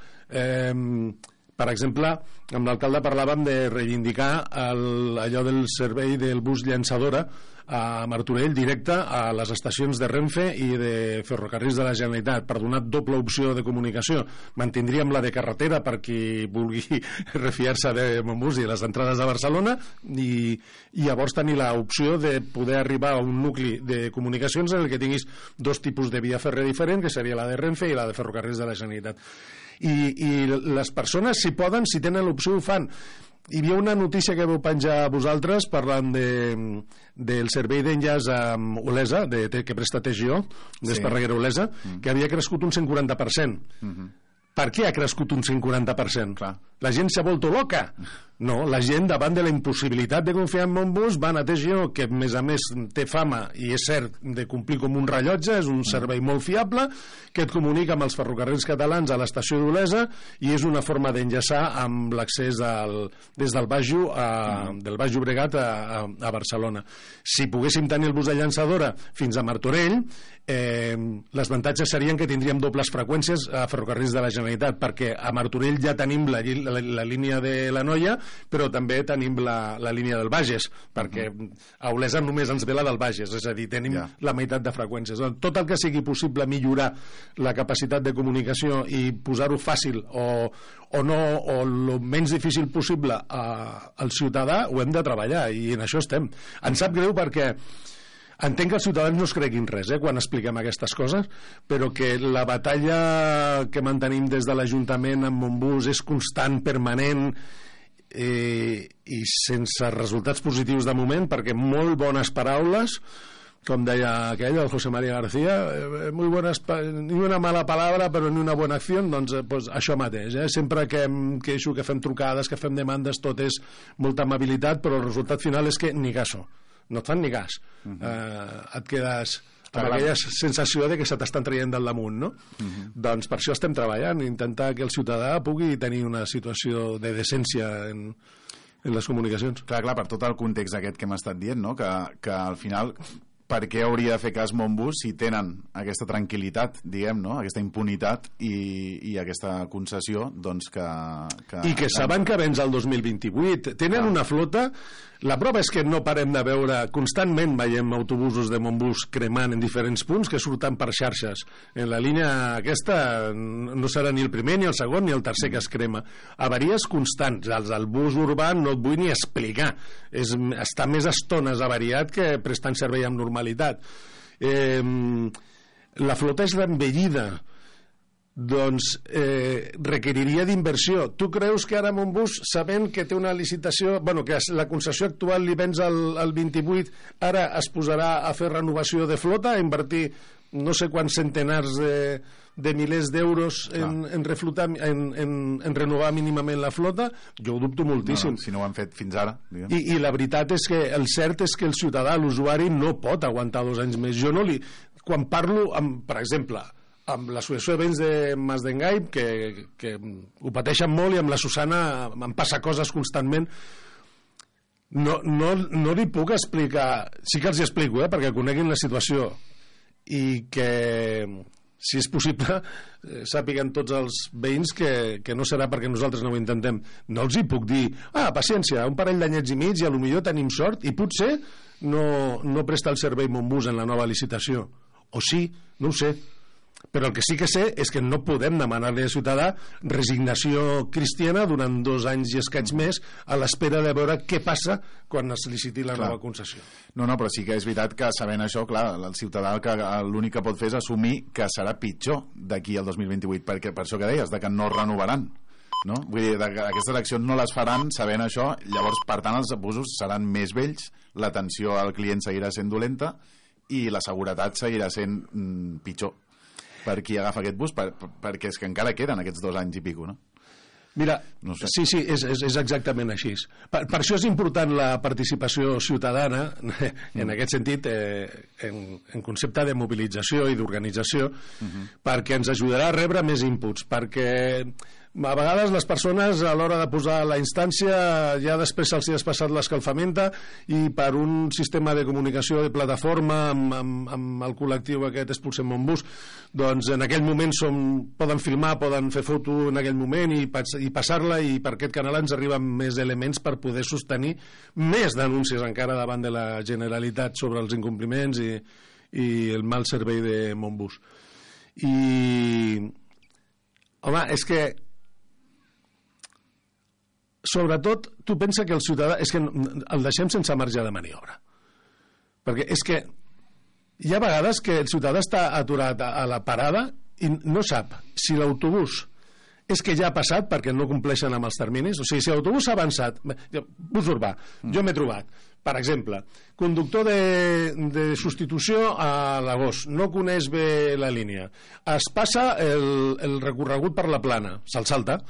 Per exemple, amb l'alcalde parlàvem de reivindicar allò del servei del bus llançadora a Martorell directe a les estacions de Renfe i de Ferrocarrils de la Generalitat per donar doble opció de comunicació. Mantindríem la de carretera per qui vulgui refiar-se de Montbus i les entrades de Barcelona, i llavors tenir l'opció de poder arribar a un nucli de comunicacions en el que tinguis dos tipus de via fèrria diferent, que seria la de Renfe i la de Ferrocarrils de la Generalitat. I les persones, si poden, si tenen l'opció, ho fan. Hi havia una notícia que vau penjar a vosaltres parlant del servei d'enllaç amb Olesa, que presta TGO, d'Esparreguera Olesa, que havia crescut un 140%. Per què ha crescut un 140%? Clar. La gent s'ha vuelto loca. No, la gent, davant de la impossibilitat de confiar en Montbus, van a TGO, que a més té fama, i és cert, de complir com un rellotge, és un servei molt fiable, que et comunica amb els ferrocarrils catalans a l'estació d'Olesa, i és una forma d'enllaçar amb l'accés des del Baix Llobregat a Barcelona. Si poguéssim tenir el bus de llançadora fins a Martorell, les avantatges serien que tindríem dobles freqüències a ferrocarrils de la Generalitat, perquè a Martorell ja tenim la línia de la Noia, però també tenim la línia del Bages, perquè a Olesa només ens ve la del Bages, és a dir, tenim la meitat de freqüències. Tot el que sigui possible millorar la capacitat de comunicació i posar-ho fàcil o el menys difícil possible al ciutadà, ho hem de treballar, i en això estem. Em sap greu perquè entenc que els ciutadans no es creguin res quan expliquem aquestes coses, però que la batalla que mantenim des de l'Ajuntament amb Montbus és constant, permanent, i sense resultats positius de moment, perquè molt bones paraules, com deia aquell, el José María García, muy buenas, ni una mala palabra però ni una bona acció, doncs això mateix, sempre que em queixo, que fem trucades, que fem demandes, tot és molta amabilitat, però el resultat final és que ni caso, no et fan ni cas, et quedes amb aquella sensació de que se t'estan traient del damunt, no? Doncs per això estem treballant, intentar que el ciutadà pugui tenir una situació de decència en les comunicacions. Clar, per tot el context aquest que hem estat dient, no? Que al final, per què hauria de fer cas Montbus si tenen aquesta tranquil·litat, diguem, no? Aquesta impunitat i aquesta concessió, doncs que... I que saben que vens al 2028. Tenen una flota. La prova és que no parem de veure, constantment veiem autobusos de Montbus cremant en diferents punts que surten per xarxes. En la línia aquesta no serà ni el primer, ni el segon, ni el tercer que es crema. Avaries constants. El bus urbà no et vull ni explicar. Està més estones avariat que prestant servei amb normalitat. La flota és envellida. Doncs requeriria d'inversió. Tu creus que ara Montbus, sabent que té una licitació, que la concessió actual li vens al 28, ara es posarà a fer renovació de flota, a invertir no sé quants centenars de milers d'euros en reflotar, en renovar mínimament la flota? Jo ho dubto moltíssim. Si no ho han fet fins ara. I la veritat és que el cert és que el ciutadà, l'usuari, no pot aguantar 2 anys més. Jo no li... Quan parlo, per exemple, amb l'associació de veïns de Mas d'Engai, que ho pateixen molt, i amb la Susana em passa coses constantment, no li puc explicar, sí que els hi explico, perquè coneguin la situació. i que, si és possible, sàpiguen tots els veïns que no serà perquè nosaltres no ho intentem. No els hi puc dir, paciència, un parell d'anyets i mig i potser tenim sort i potser no presta el servei Montbus en la nova licitació. O sí, no ho sé. Però el que sí que sé és que no podem demanar-li al ciutadà resignació cristiana durant 2 anys i escaig més a l'espera de veure què passa quan es liciti la nova concessió. No, però sí que és veritat que sabent això, clar, el ciutadà l'únic que pot fer és assumir que serà pitjor d'aquí al 2028, perquè per això que deies, de que no renovaran. No? Vull dir, que aquestes eleccions no les faran sabent això, llavors, per tant, els abusos seran més vells, l'atenció al client seguirà sent dolenta i la seguretat seguirà sent pitjor per qui agafa aquest bus, perquè és que encara queden aquests 2 anys i pico, no? Mira, no sé. Sí, és exactament així. Per això és important la participació ciutadana, en aquest sentit, en concepte de mobilització i d'organització, perquè ens ajudarà a rebre més inputs, perquè a vegades les persones a l'hora de posar la instància ja després se'ls ha passat l'escalfamenta i per un sistema de comunicació de plataforma amb el col·lectiu aquest Expulsem Montbus, doncs en aquell moment poden filmar, poden fer foto en aquell moment i passar-la, i per aquest canal ens arriben més elements per poder sostenir més denúncies encara davant de la Generalitat sobre els incompliments i el mal servei de Montbus. I home, és que sobretot tu pensa que el ciutadà és que el deixem sense marge de maniobra, perquè és que hi ha vegades que el ciutadà està aturat a la parada i no sap si l'autobús és que ja ha passat perquè no compleixen amb els terminis. O sigui, si l'autobús ha avançat, bus urbà, jo m'he trobat, per exemple, conductor de substitució a l'agost, no coneix bé la línia, es passa el recorregut per la Plana, se'l salta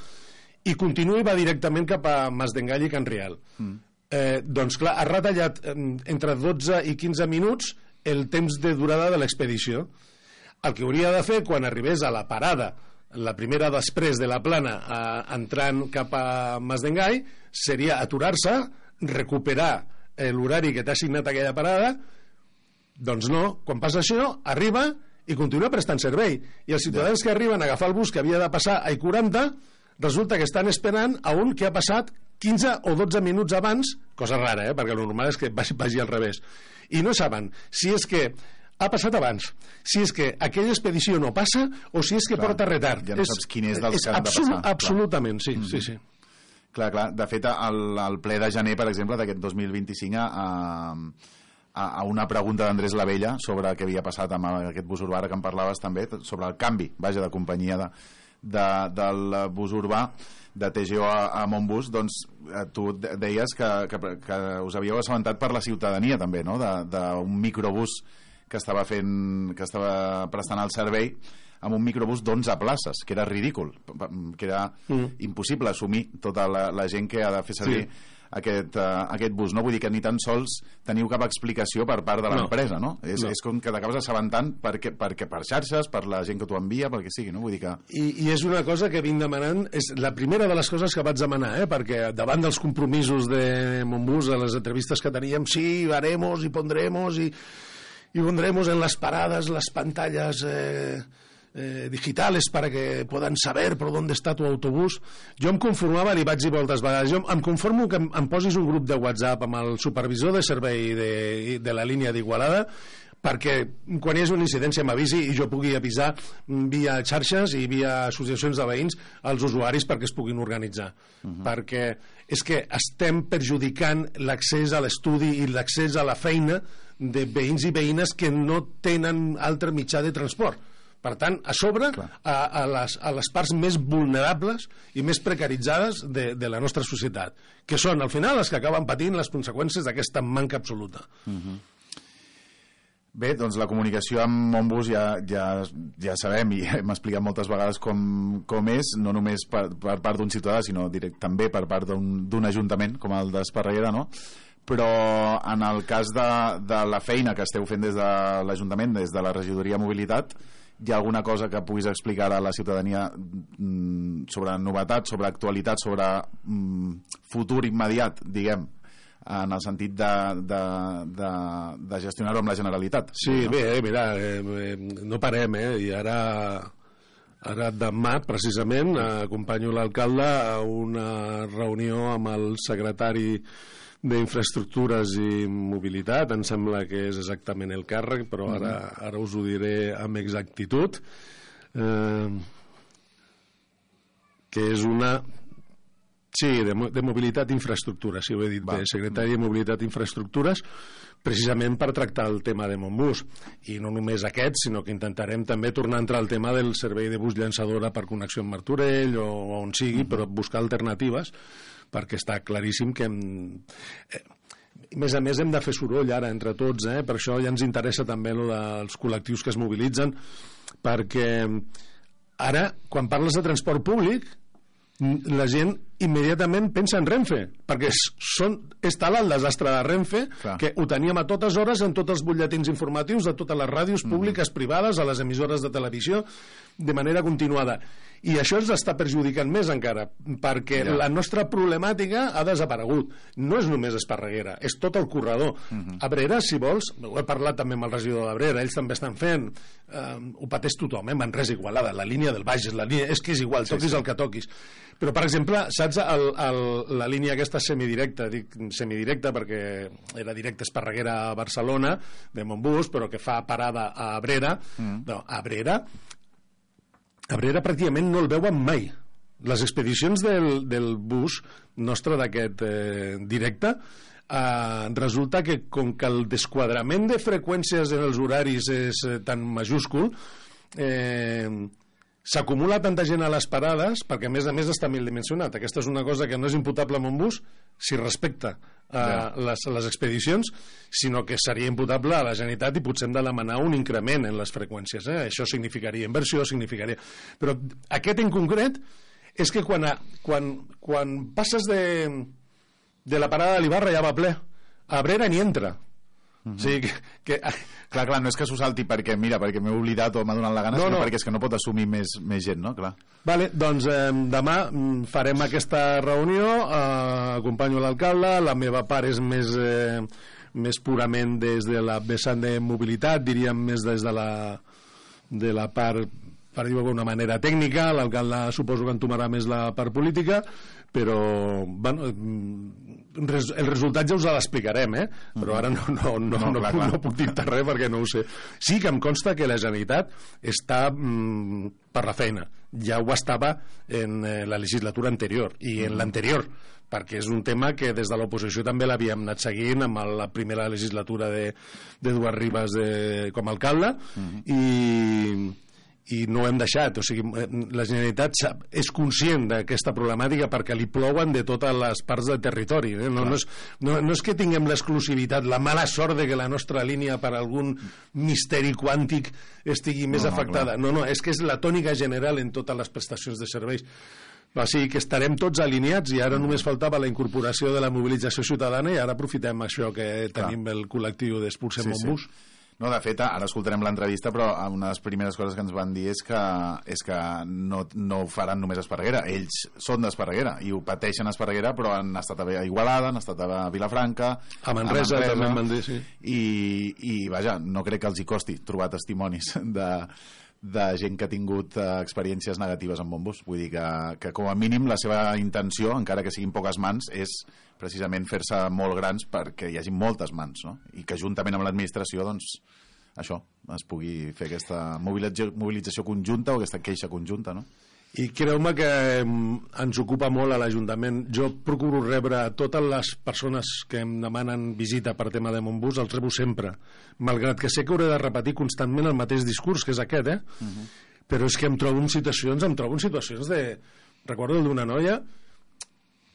i continua i va directament cap a Masdengall i Can Rial. Doncs clar, ha retallat entre 12 i 15 minuts el temps de durada de l'expedició. El que hauria de fer quan arribés a la parada, la primera després de la Plana, entrant cap a Masdengall, seria aturar-se, recuperar l'horari que t'ha assignat aquella parada. Doncs no, quan passa això, arriba i continua prestant servei. I els ciutadans que arriben a agafar el bus que havia de passar a I40 resulta que estan esperant a un que ha passat 15 o 12 minuts abans, cosa rara, perquè el normal és que vagi al revés, i no saben si és que ha passat abans, si és que aquella expedició no passa o si és que porta retard. Ja no saps quin és dels que han de passar. Absolutament, sí, sí. Clar. De fet, al ple de gener, per exemple, d'aquest 2025, a una pregunta d'Andrés Lavella sobre què havia passat amb aquest bus urbà que en parlaves també, sobre el canvi, de companyia del bus urbà de TGO a Montbus, doncs tu deies que us havíeu assabentat per la ciutadania també, no? D'un microbús que estava prestant el servei amb un microbús d'11 places, que era ridícul, que era impossible assumir tota la gent que ha de fer servir aquest bus, no? Vull dir que ni tan sols teniu cap explicació per part de l'empresa, no? És com que t'acabes assabentant perquè per xarxes, per la gent que t'ho envia, pel que sigui, no? Vull dir que... I és una cosa que vinc demanant, és la primera de les coses que vaig demanar, perquè davant dels compromisos de Montbus, a les entrevistes que teníem, sí, haremos y pondremos y pondremos en las paradas las pantallas digitales para que puedan saber por dónde está tu autobús. Jo em conformava, li vaig dir moltes vegades, jo em conformo que em posis un grup de WhatsApp amb el supervisor de servei de la línia d'Igualada, perquè quan hi hagi una incidència m'avisi i jo pugui avisar via xarxes i via associacions de veïns als usuaris perquè es puguin organitzar. Perquè és que estem perjudicant l'accés a l'estudi i l'accés a la feina de veïns i veïnes que no tenen altre mitjà de transport. Per tant, a sobre, a les parts més vulnerables i més precaritzades de la nostra societat, que són, al final, les que acaben patint les conseqüències d'aquesta manca absoluta. Bé, doncs la comunicació amb Montbus ja sabem i hem explicat moltes vegades com és, no només per part d'un ciutadà, sinó també per part d'un ajuntament, com el d'Esparreguera, no? Però en el cas de la feina que esteu fent des de l'Ajuntament, des de la Regidoria de Mobilitat, hi ha alguna cosa que puguis explicar a la ciutadania sobre novetats, sobre actualitat, sobre futur immediat, diguem, en el sentit de gestionar-ho amb la Generalitat. Sí, no? Bé, mira, no parem, i ara demà, precisament, acompanyo l'alcalde a una reunió amb el secretari d'Infraestructures i Mobilitat, em sembla que és exactament el càrrec, però ara us ho diré amb exactitud, que és una... Sí, de Mobilitat i Infraestructures, si ho he dit bé, secretari de Mobilitat i Infraestructures, precisament per tractar el tema de Montbus. I no només aquest, sinó que intentarem també tornar a entrar al tema del servei de bus llançadora per connexió amb Martorell o on sigui, però buscar alternatives, perquè està claríssim que... A més a més hem de fer soroll ara entre tots, per això ja ens interessa també el dels col·lectius que es mobilitzen, perquè ara, quan parles de transport públic, la gent immediatament pensa en Renfe, perquè és tal el desastre de Renfe que ho teníem a totes hores en tots els butlletins informatius de totes les ràdios públiques, privades, a les emissores de televisió, de manera continuada. I això ens està perjudicant més encara, perquè la nostra problemàtica ha desaparegut. No és només Esparreguera, és tot el corredor. Abrera, si vols, ho he parlat també amb el regidor d'Abrera, ells també estan fent, ho pateix tothom, Manresa, Igualada, la línia del Bages, és que és igual, toquis el que toquis. Però, per exemple, saps la línia aquesta semidirecta, dic semidirecta perquè era directa Esparreguera a Barcelona, de Montbus, però que fa parada a Abrera, Abrera pràcticament no el veuen mai. Les expedicions del bus nostre d'aquest directe, resulta que com que el desquadrament de freqüències en els horaris és tan majúscul, s'acumula tanta gent a les parades, perquè a més està mil dimensionat. Aquesta és una cosa que no és imputable a Montbus si respecta les expedicions, sinó que seria imputable a la Generalitat i potser hem de demanar un increment en les freqüències. Això significaria inversió, significaria... Però aquest en concret és que quan passes de la parada de l'Ibarra ja va ple. A Abrera ni entra. O sigui que... Clar, no és que s'ho salti perquè m'he oblidat o m'ha donat la gana, sinó perquè és que no pot assumir més gent, no? Clar. Vale, doncs demà farem aquesta reunió, acompanyo l'alcalde, la meva part és més purament des de la vessant de mobilitat, diríem més des de la part, per dir-ho d'alguna manera, tècnica. L'alcalde suposo que entomarà més la part política, però bueno, el resultat ja us l'explicarem, però ara no puc dir-te res perquè no ho sé. Sí que em consta que la Generalitat està per la feina, ja ho estava en la legislatura anterior i en l'anterior, perquè és un tema que des de l'oposició també l'havíem anat seguint amb la primera legislatura d'Eduard Ribas com a alcalde, i no ho hem deixat. O sigui, la Generalitat és conscient d'aquesta problemàtica perquè li plouen de totes les parts del territori. No és que tinguem l'exclusivitat, la mala sort de que la nostra línia per algun misteri quàntic estigui més afectada. No, és que és la tònica general en totes les prestacions de serveis. O sigui que estarem tots alineats i ara només faltava la incorporació de la mobilització ciutadana i ara aprofitem això que tenim el col·lectiu d'Expulsem Montbus. No, de fet, ara escoltarem l'entrevista, però una de les primeres coses que ens van dir és que no ho faran només a Esparreguera. Ells són d'Esparreguera i ho pateixen a Esparreguera, però han estat a Igualada, han estat a Vilafranca, a Manresa també em van dir, sí. I vaja, no crec que els hi costi trobar testimonis de gent que ha tingut experiències negatives amb Montbus. Vull dir que com a mínim la seva intenció, encara que siguin poques mans, és precisament fer-se molt grans perquè hi hagi moltes mans, no? I que juntament amb l'administració, doncs, això, es pugui fer aquesta mobilització conjunta o aquesta queixa conjunta, no? I creu-me que ens ocupa molt a l'Ajuntament. Jo procuro rebre totes les persones que em demanen visita per tema de Montbus, els rebo sempre, malgrat que sé que hauré de repetir constantment el mateix discurs, que és aquest, però és que em trobo en situacions de... Recordo d'una noia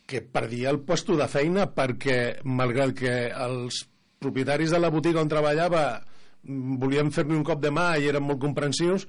que perdia el puesto de feina perquè, malgrat que els propietaris de la botiga on treballava volien fer-li un cop de mà i eren molt comprensius,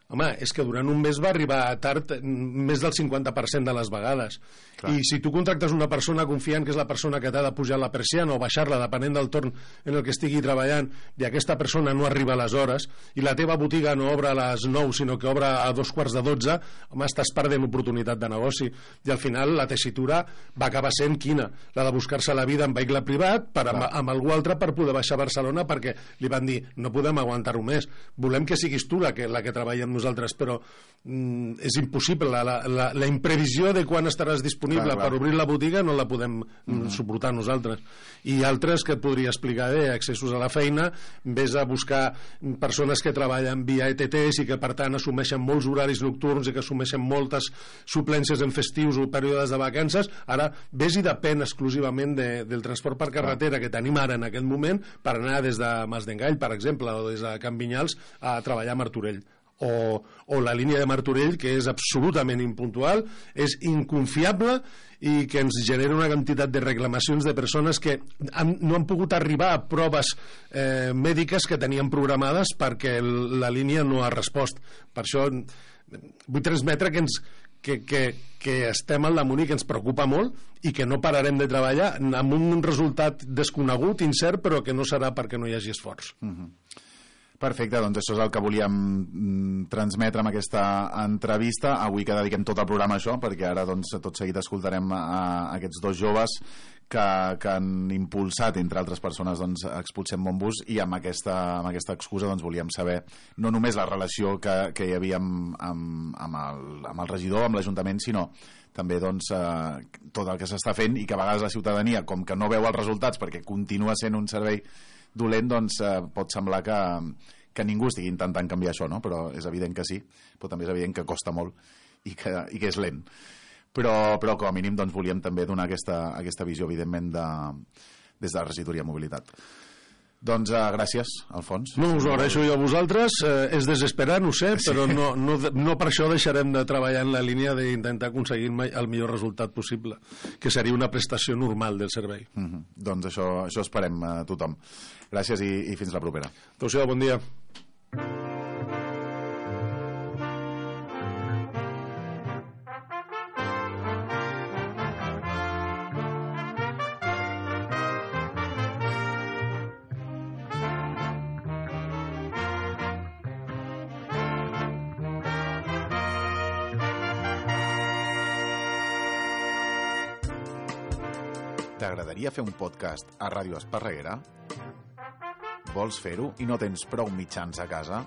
Home, és que durant un mes va arribar tard més del 50% de les vegades. Clar. I si tu contractes una persona confiant que és la persona que t'ha de pujar la persiana o baixar-la, depenent del torn en el que estigui treballant, i aquesta persona no arriba a les hores, i la teva botiga no obre a les 9, sinó que obre a 2:45, home, estàs perdent oportunitat de negoci. I al final la tessitura va acabar sent quina? La de buscar-se la vida en vehicle privat amb algú altre per poder baixar a Barcelona, perquè li van dir, no podem aguantar-ho més, volem que siguis tu la que treballa amb nosaltres, però és impossible. La imprevisió de quan estaràs disponible per obrir la botiga no la podem suportar nosaltres. I altres que et podria explicar accessos a la feina, vés a buscar persones que treballen via ETTs i que per tant assumeixen molts horaris nocturns i que assumeixen moltes suplències en festius o períodes de vacances. Ara vés i depèn exclusivament del transport per carretera que tenim ara en aquest moment per anar des de Mas d'Engall, per exemple, o des de Can Vinyals a treballar a Martorell. O la línia de Martorell, que és absolutament impuntual, és inconfiable i que ens genera una quantitat de reclamacions de persones que no han pogut arribar a proves mèdiques que tenien programades perquè la línia no ha respost. Per això vull transmetre que estem al damunt i que ens preocupa molt i que no pararem de treballar amb un resultat desconegut, incert, però que no serà perquè no hi hagi esforç. Perfecte, doncs això és el que volíem transmetre amb aquesta entrevista. Avui que dediquem tot el programa a això, perquè ara doncs, tot seguit escoltarem a aquests dos joves que han impulsat, entre altres persones, doncs, Expulsem Montbus, i amb aquesta excusa doncs, volíem saber no només la relació que hi havia amb el regidor, amb l'Ajuntament, sinó també doncs, tot el que s'està fent i que a vegades la ciutadania, com que no veu els resultats perquè continua sent un servei dolent, doncs pot semblar que ningú estigui intentant canviar això, no? Però és evident que sí, però també és evident que costa molt i que és lent. Però com a mínim doncs, volíem també donar aquesta visió, evidentment, des de la Regidoria de Mobilitat. Doncs gràcies, Alfons. No, us ho agraeixo jo a vosaltres. És desesperant, ho sé, però no per això deixarem de treballar en la línia d'intentar aconseguir el millor resultat possible, que seria una prestació normal del servei. Doncs això esperem tothom. Gràcies i fins la propera. Adéu-siau, bon dia. T'agradaria fer un podcast a Ràdio Esparreguera? Vols fer-ho i no tens prou mitjans a casa?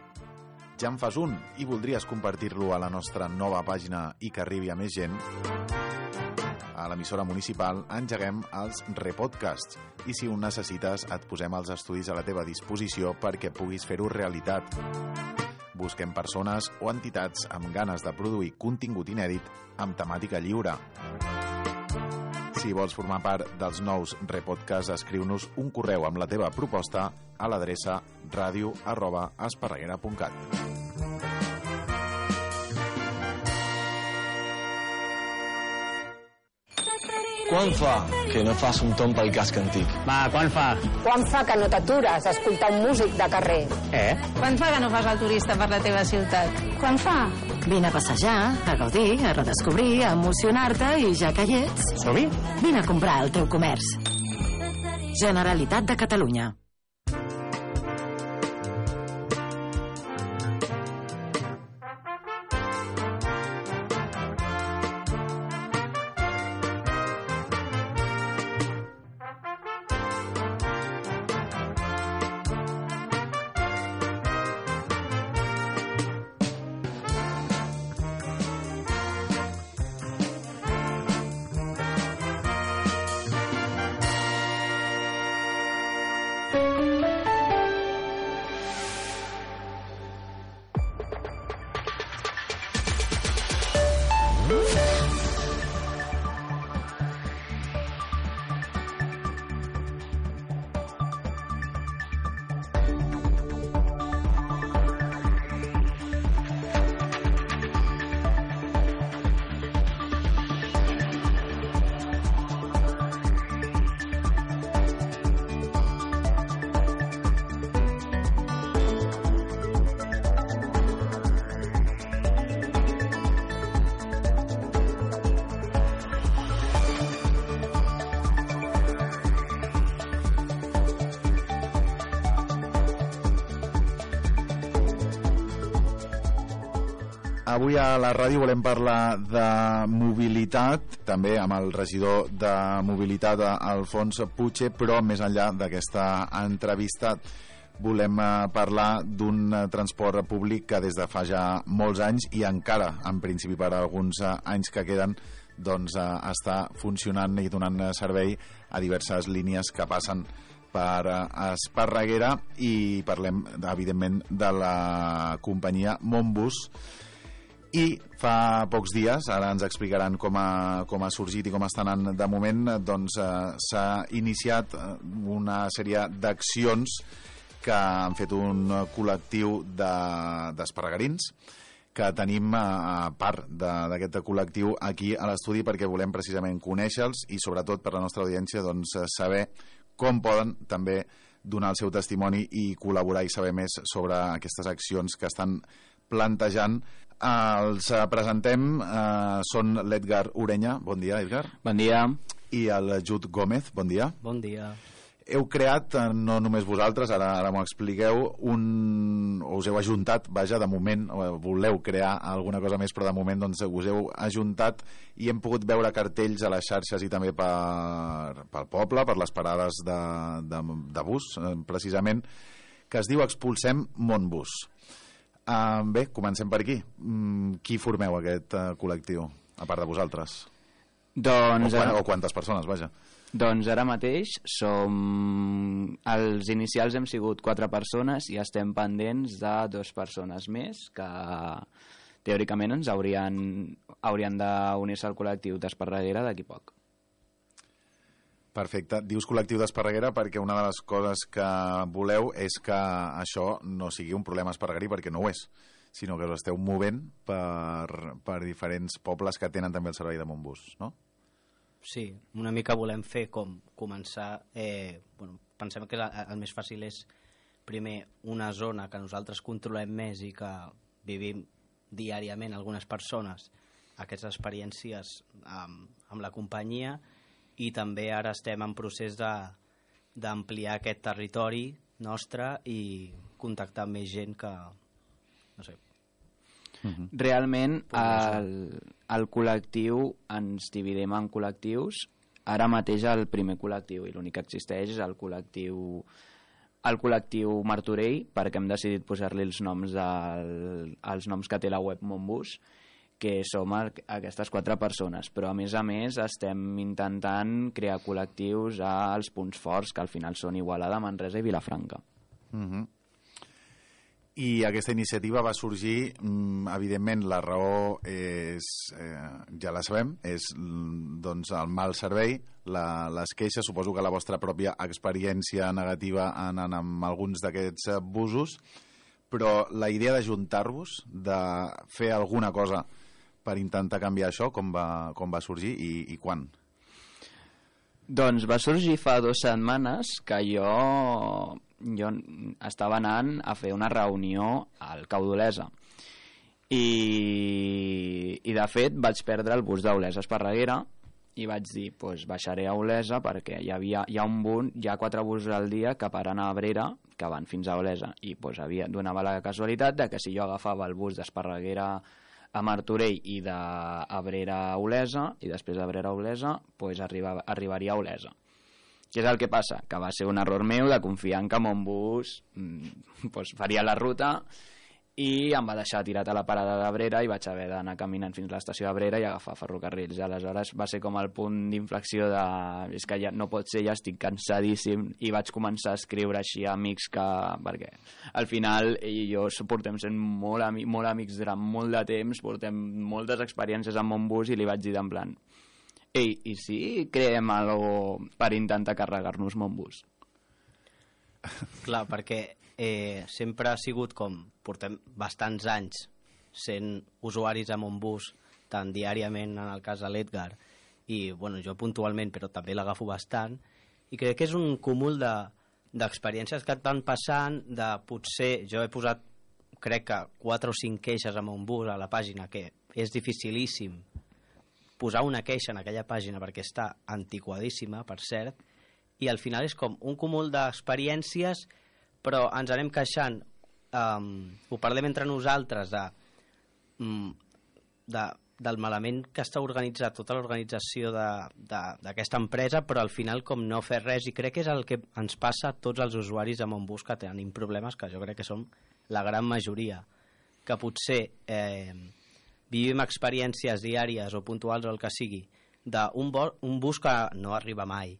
Ja en fas un i voldries compartir-lo a la nostra nova pàgina i que arribi a més gent? A l'emissora municipal engeguem els repodcasts i si ho necessites et posem els estudis a la teva disposició perquè puguis fer-ho realitat. Busquem persones o entitats amb ganes de produir contingut inèdit amb temàtica lliure. Si vols formar part dels nous repodcasts, escriu-nos un correu amb la teva proposta a l'adreça radio@esparreguera.cat. Quan fa que no fas un tomb pel casc antic? Va, quan fa? Quan fa que no t'atures a escoltar un músic de carrer? Quan fa que no fas el turista per la teva ciutat? Quan fa? Vine a passejar, a gaudir, a redescobrir, a emocionar-te i ja que hi ets... Som-hi? Vine a comprar al teu comerç. Generalitat de Catalunya. Avui a la ràdio volem parlar de mobilitat, també amb el regidor de mobilitat, Alfons Puche, però més enllà d'aquesta entrevista volem parlar d'un transport públic que des de fa ja molts anys i encara, en principi per alguns anys que queden, doncs està funcionant i donant servei a diverses línies que passen per Esparreguera, i parlem evidentment de la companyia Montbus. I fa pocs dies, ara ens explicaran com ha sorgit i com està anant de moment, doncs s'ha iniciat una sèrie d'accions que han fet un col·lectiu d'esparregarins, que tenim a part d'aquest col·lectiu aquí a l'estudi, perquè volem precisament conèixer-los i sobretot per la nostra audiència doncs saber com poden també donar el seu testimoni i col·laborar i saber més sobre aquestes accions que estan plantejant. Els presentem, són l'Edgar Urenya. Bon dia, Edgar. Bon dia. I el Jud Gómez. Bon dia. Bon dia. Heu creat, no només vosaltres, ara m'ho expliqueu, us heu ajuntat, vaja, de moment, voleu crear alguna cosa més, però de moment doncs, us heu ajuntat i hem pogut veure cartells a les xarxes i també pel poble, per les parades de bus, precisament, que es diu Expulsem Montbus. Bé, comencem per aquí. Qui formeu aquest col·lectiu, a part de vosaltres? O quantes persones, vaja? Doncs ara mateix els inicials hem sigut 4 persones i estem pendents de 2 persones més que teòricament ens haurien d'unir-se al col·lectiu d'Esparreguera d'aquí poc. Perfecte. Dius col·lectiu d'Esparreguera perquè una de les coses que voleu és que això no sigui un problema esparreguerí, perquè no ho és, sinó que us esteu movent per diferents pobles que tenen també el servei de Montbus, no? Sí, una mica volem fer com començar... pensem que el més fàcil és primer una zona que nosaltres controlem més i que vivim diàriament algunes persones aquestes experiències amb la companyia, i també ara estem en procés d'ampliar aquest territori nostre i contactar amb més gent que... no sé. Realment el col·lectiu ens dividim en col·lectius. Ara mateix el primer col·lectiu i l'únic que existeix és el col·lectiu Martorell, perquè hem decidit posar-li els noms que té la web Montbus, que som aquestes 4 persones, però a més estem intentant crear col·lectius als punts forts, que al final són Igualada, Manresa i Vilafranca. I aquesta iniciativa va sorgir, evidentment la raó és, ja la sabem, és doncs, el mal servei, les queixes, suposo que la vostra pròpia experiència negativa anant amb alguns d'aquests busos, però la idea d'ajuntar-vos, de fer alguna cosa per intentar canviar això, com va sorgir i quan? Doncs va sorgir fa 2 setmanes que jo estava anant a fer una reunió al Cau d'Olesa i de fet vaig perdre el bus d'Olesa a Esparreguera i vaig dir, baixaré a Olesa perquè hi ha 4 busos al dia que paren a Abrera, que van fins a Olesa, i donava la casualitat de que si jo agafava el bus d'Esparreguera a Martorell i d'Abrera a Olesa, i després d'Abrera a Olesa arribaria a Olesa. Què és el que passa? Que va ser un error meu de confiar en que Montbus faria la ruta i em va deixar tirat a la parada d'Abrera i vaig haver d'anar caminant fins a l'estació d'Abrera i agafar ferrocarrils. Aleshores va ser com el punt d'inflexió de... és que ja no pot ser, ja estic cansadíssim, i vaig començar a escriure així a amics perquè al final ell i jo portem sent molt amics durant molt de temps, portem moltes experiències amb Montbus, i li vaig dir en plan: ei, i si creem alguna cosa per intentar carregar-nos Montbus? Clar, perquè sempre ha sigut com... portem bastants anys sent usuaris a Montbus, tant diàriament en el cas de l'Edgar, i jo puntualment, però també l'agafo bastant, i crec que és un cúmul d'experiències que et van passant, de potser... jo he posat, crec que 4 o 5 queixes a Montbus a la pàgina, que és dificilíssim posar una queixa en aquella pàgina perquè està antiquadíssima, per cert, i al final és com un cúmul del malament que està organitzat tota l'organització d'aquesta empresa, però al final com no fer res, i crec que és el que ens passa a tots els usuaris de Montbus que tenim problemes, que jo crec que som la gran majoria, que potser vivim experiències diàries o puntuals o el que sigui, d'un bus que no arriba mai,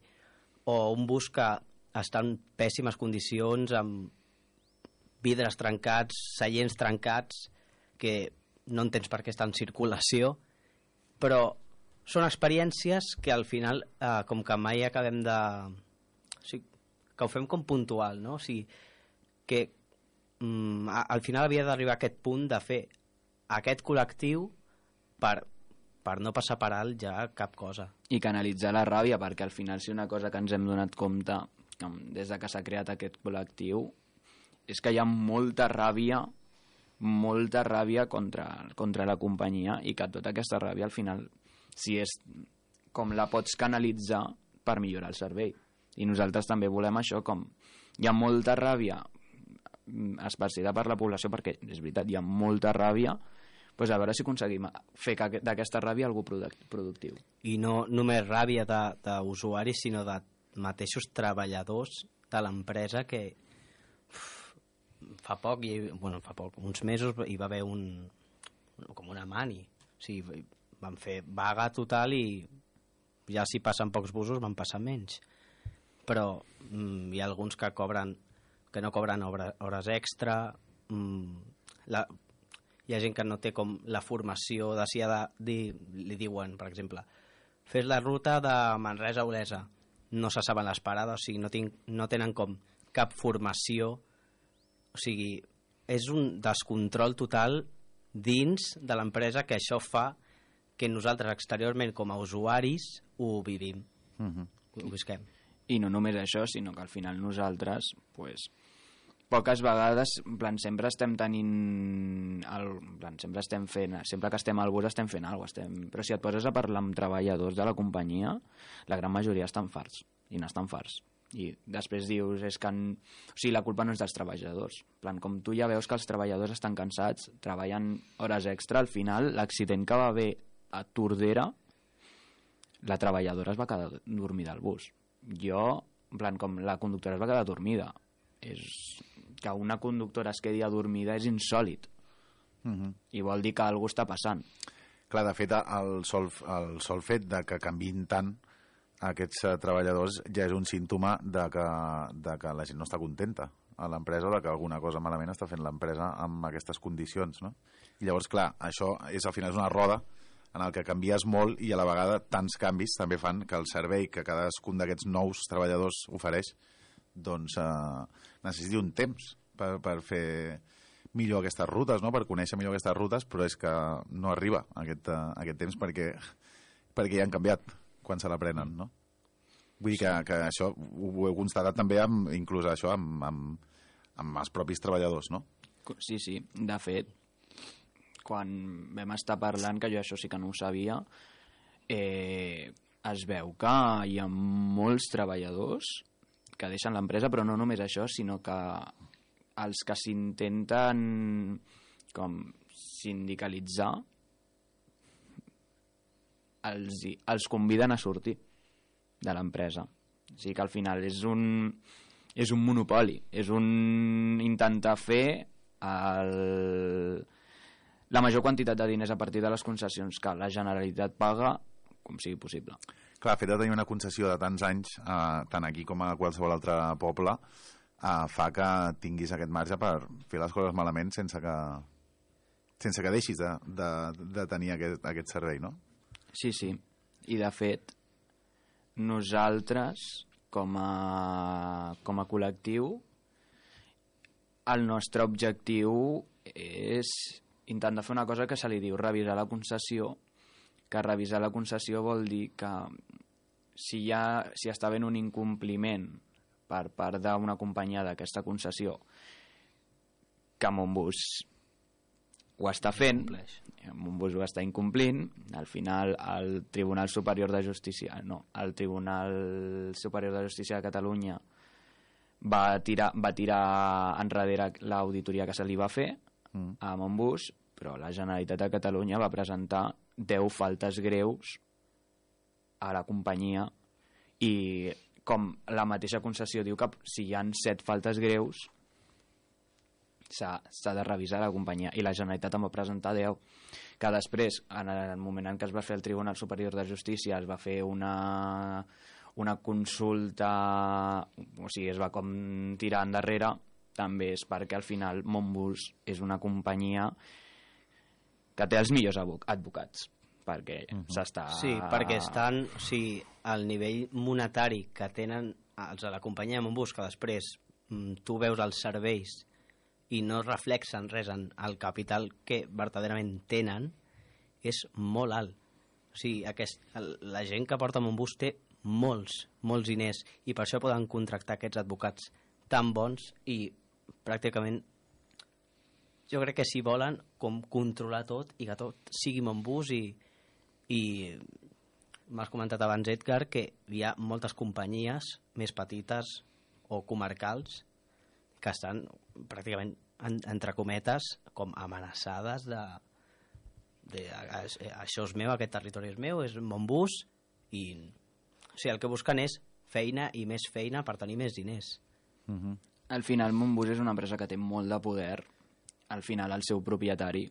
o un bus que està en pèssimes condicions, amb vidres trencats, seients trencats, que no entens per què està en circulació, però són experiències que al final com que mai acabem de... O sigui, que ho fem com puntual, no? O sigui, que al final havia d'arribar a aquest punt de fer aquest col·lectiu per no passar per alt ja cap cosa. I canalitzar la ràbia, perquè al final si una cosa que ens hem donat compte des de que s'ha creat aquest col·lectiu és que hi ha molta ràbia contra la companyia, i que tota aquesta ràbia al final, si és com la pots canalitzar per millorar el servei. I nosaltres també volem això, com hi ha molta ràbia esparcida per la població, perquè és veritat, hi ha molta ràbia, doncs a veure si aconseguim fer d'aquesta ràbia algú productiu. I no només ràbia d'usuaris, sinó de mateixos treballadors de l'empresa que fa poc, uns mesos, hi va haver com una mani. O sigui, van fer vaga total i ja si passen pocs busos van passar menys. Però hi ha alguns que no cobren hores extra, hi ha gent que no té com la formació de si ha de dir, li diuen, per exemple, fes la ruta de Manresa a Olesa, no se saben les parades, o sigui, no tenen com cap formació, o sigui, és un descontrol total dins de l'empresa, que això fa que nosaltres exteriorment com a usuaris ho vivim, ho visquem. I no només això, sinó que al final nosaltres, poques vegades, en plan, sempre estem tenint sempre que estem al bus estem fent alguna cosa, però si et poses a parlar amb treballadors de la companyia, la gran majoria estan farts, i n'estan farts. I després dius, o sigui, la culpa no és dels treballadors. En plan, com tu ja veus que els treballadors estan cansats, treballen hores extra, al final l'accident que va haver a Tordera, la treballadora es va quedar dormida al bus. En plan, com la conductora es va quedar dormida. Que una conductora es quedi adormida és insòlit. I vol dir que alguna està passant. Clar, de fet, el sol fet de que canviïn tant aquests treballadors ja és un símptoma de que la gent no està contenta a l'empresa, o de que alguna cosa malament està fent l'empresa amb aquestes condicions, no? I llavors, clar, això al final és una roda en el que canvies molt, i a la vegada tants canvis també fan que el servei que cadascun d'aquests nous treballadors ofereix doncs necessiti un temps per fer millor aquestes rutes, no? Per conèixer millor aquestes rutes, però és que no arriba aquest temps perquè ja han canviat quan se l'aprenen, no? Vull dir que això ho heu constatat també inclús això amb els propis treballadors, no? Sí, de fet, quan vam estar parlant, que jo això sí que no ho sabia, es veu que hi ha molts treballadors que deixen l'empresa, però no només això, sinó que els que s'intenten com sindicalitzar els conviden a sortir de l'empresa. O sigui que al final és un monopoli, és un intentar fer la major quantitat de diners a partir de les concessions que la Generalitat paga com sigui possible. Clar, el fet de tenir una concessió de tants anys, tant aquí com a qualsevol altre poble, fa que tinguis aquest marge per fer les coses malament sense que deixis de tenir aquest servei, no? Sí. I de fet, nosaltres, com a col·lectiu, el nostre objectiu és intentar fer una cosa que se li diu revisar la concessió, que revisar la concessió vol dir que si està havent un incompliment per part d'una companyia d'aquesta concessió, que Montbus ho està fent, Montbus ho està incomplint, al final el Tribunal Superior de Justícia de Catalunya va tirar enrere l'auditoria que se li va fer a Montbus, però la Generalitat de Catalunya va presentar 10 faltes greus a la companyia i com la mateixa concessió diu que si hi ha 7 faltes greus s'ha de revisar la companyia i la Generalitat en va presentar 10 que després, en el moment en què es va fer el Tribunal Superior de Justícia es va fer una consulta, o sigui, es va com tirar endarrere, també és perquè al final Montbus és una companyia que té els millors advocats perquè s'està... Sí, perquè estan, o sigui, al nivell monetari que tenen els de la companyia de Montbus, que després tu veus els serveis i no reflexen res en el capital que verdaderament tenen, és molt alt. O sigui, la gent que porta Montbus té molts diners i per això poden contractar aquests advocats tan bons i pràcticament jo crec que si volen com controlar tot i que tot sigui Montbus i m'has comentat abans, Edgar, que hi ha moltes companyies més petites o comarcals que estan pràcticament, entre cometes, com amenaçades de això és meu, aquest territori és meu, és Montbus, i o sigui, el que busquen és feina i més feina per tenir més diners. Al final Montbus és una empresa que té molt de poder, al final el seu propietari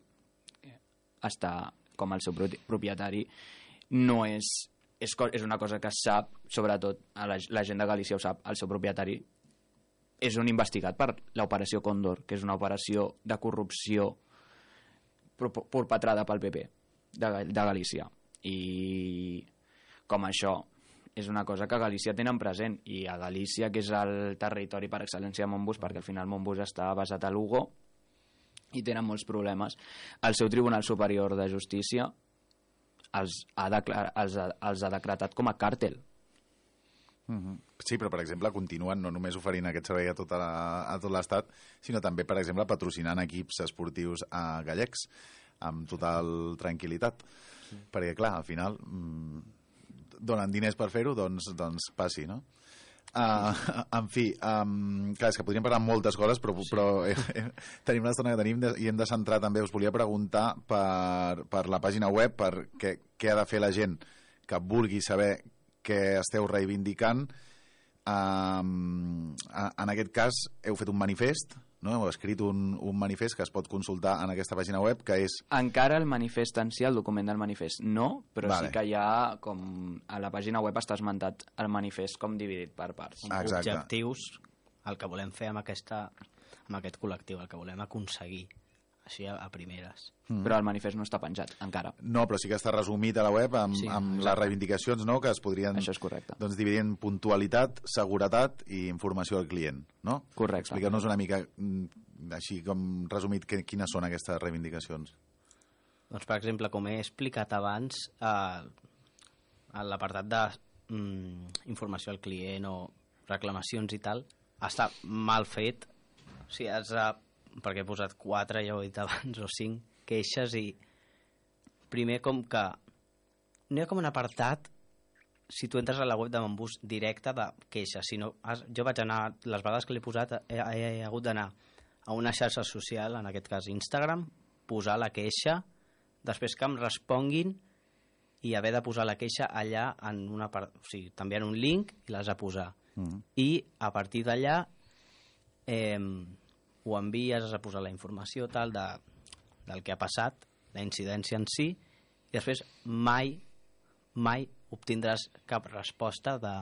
està com el seu propietari, no és una cosa que es sap, sobretot la gent de Galícia ho sap, el seu propietari és un investigat per l'operació Còndor, que és una operació de corrupció perpetrada pel PP de Galícia. I com això és una cosa que a Galícia tenen present, i a Galícia, que és el territori per excel·lència de Montbus, perquè al final Montbus està basat a Lugo i tenen molts problemes, el seu Tribunal Superior de Justícia els ha decretat com a càrtel. Sí, però per exemple continuen no només oferint aquest servei a tot l'estat, sinó també per exemple patrocinant equips esportius gallecs amb total tranquil·litat, perquè clar, al final donen diners per fer-ho, doncs passi, no? En fi, clar, és que podríem parlar moltes coses, però tenim l'estona que tenim i hem de centrar també. Us volia preguntar per la pàgina web, per què ha de fer la gent que vulgui saber què esteu reivindicant. En aquest cas heu fet un manifest, no? Heu escrit un manifest que es pot consultar en aquesta pàgina web, que és... Encara el manifest en si, el document del manifest, no, però vale. Sí que hi ha, com a la pàgina web està esmentat el manifest com dividit per parts. Exacte. Objectius, el que volem fer amb aquest col·lectiu, el que volem aconseguir, així a primeres. Però el manifest no està penjat, encara. No, però sí que està resumit a la web amb les reivindicacions, no?, que es podrien dividir en puntualitat, seguretat i informació al client, no? Correcte. Expliqueu-nos una mica, així com resumit, quines són aquestes reivindicacions. Doncs, per exemple, com he explicat abans, a l'apartat d'informació al client o reclamacions i tal, està mal fet. O sigui, perquè he posat 4, ja ho he dit abans, o 5 queixes, i primer com que no hi ha com un apartat, si tu entres a la web de Montbus, directe de queixes, sinó jo vaig anar, les vegades que l'he posat he hagut d'anar a una xarxa social, en aquest cas Instagram, posar la queixa, després que em responguin i haver de posar la queixa allà en una part, o sigui, també en un link i l'has de posar. I a partir d'allà ho envies, has de posar la informació tal del que ha passat, la incidència en si, i després mai obtindràs cap resposta de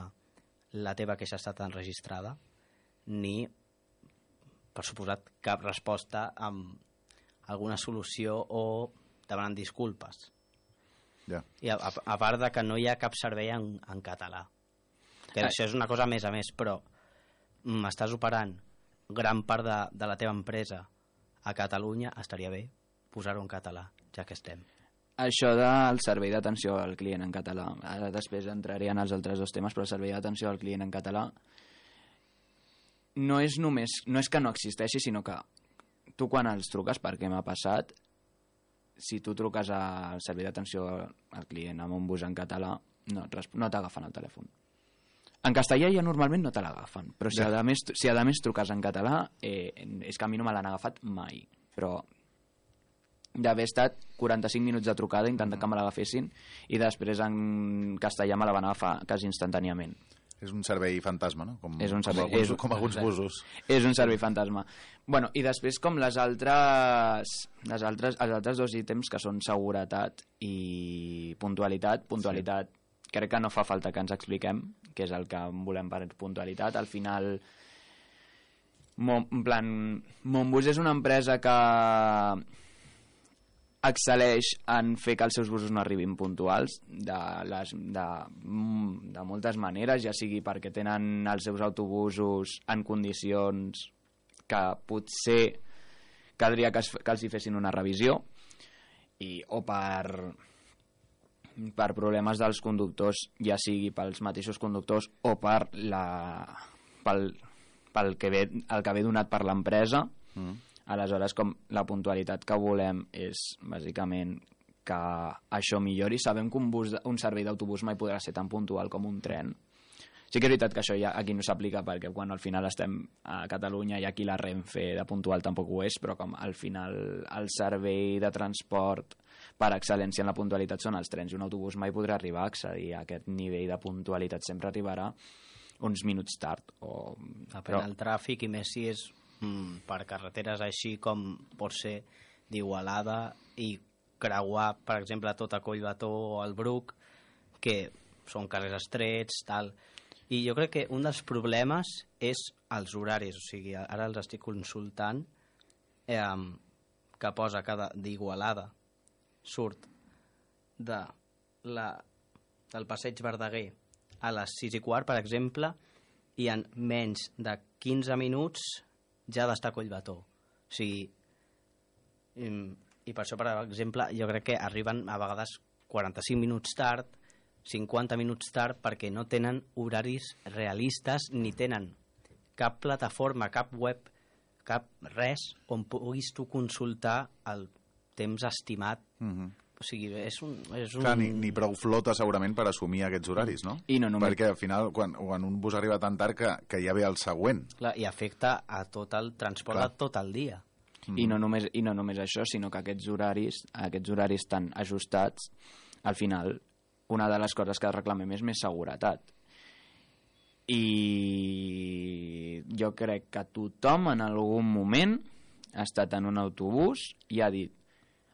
la teva queixa ha estat enregistrada, ni, per suposat, cap resposta amb alguna solució o demanant disculpes. I a part de que no hi ha cap servei en català, que això és una cosa més a més, però estàs operant gran part de la teva empresa a Catalunya, estaria bé posar-ho en català, ja que estem. Això del servei d'atenció al client en català, ara després entraré en els altres dos temes, però el servei d'atenció al client en català no és que no existeixi, sinó que tu quan els truques, perquè m'ha passat, si tu truques al servei d'atenció al client amb un bus en català, no t'agafen el telèfon. En castellà ja normalment no te l'agafen, però si a més truques en català, és que a mi no me l'han agafat mai, però d'haver estat 45 minuts de trucada intentant que me l'agafessin i després en castellà me la van agafar quasi instantàniament. És un servei fantasma, no? Com alguns busos. És un servei fantasma. Bueno, i després com els altres dos ítems que són seguretat i puntualitat. Puntualitat, crec que no fa falta que ens expliquem què és el que volem per puntualitat. Al final, en plan, Monbus és una empresa que excel·leix en fer que els seus busos no arribin puntuals de moltes maneres, ja sigui perquè tenen els seus autobusos en condicions que potser caldria que els hi fessin una revisió o per problemes dels conductors, ja sigui pels mateixos conductors o pel que ve donat per l'empresa. Aleshores, com la puntualitat que volem és, bàsicament, que això millori. Sabem que un servei d'autobús mai podrà ser tan puntual com un tren. Sí que és veritat que això ja aquí no s'aplica perquè quan al final estem a Catalunya i aquí la Renfe de puntual tampoc ho és, però com al final el servei de transport per excel·lència en la puntualitat són els trens i un autobús mai podrà arribar a accedir a aquest nivell de puntualitat. Sempre arribarà uns minuts tard. Depèn del tràfic i més si és per carreteres així com pot ser d'Igualada i creuar, per exemple, tot a Collbató o al Bruc, que són carrers estrets, tal. I jo crec que un dels problemes és els horaris, o sigui, ara els estic consultant, que posa que d'Igualada surt del Passeig Verdaguer a les 6:15, per exemple, i en menys de 15 minuts ja ha d'estar a Collbató. O sigui, i per això, per exemple, jo crec que arriben a vegades 45 minuts tard, 50 minuts tard, perquè no tenen horaris realistes ni tenen cap plataforma, cap web, cap res on puguis tu consultar el temps estimat. O sigui, és un... Clar, ni prou flota segurament per assumir aquests horaris, no? I no només... Perquè al final, quan un bus arriba tan tard que ja ve el següent. Clar, i afecta a tot el transport de tot el dia. I no només això, sinó que aquests horaris tan ajustats, al final, una de les coses que reclamem és més seguretat. I jo crec que tothom en algun moment ha estat en un autobús i ha dit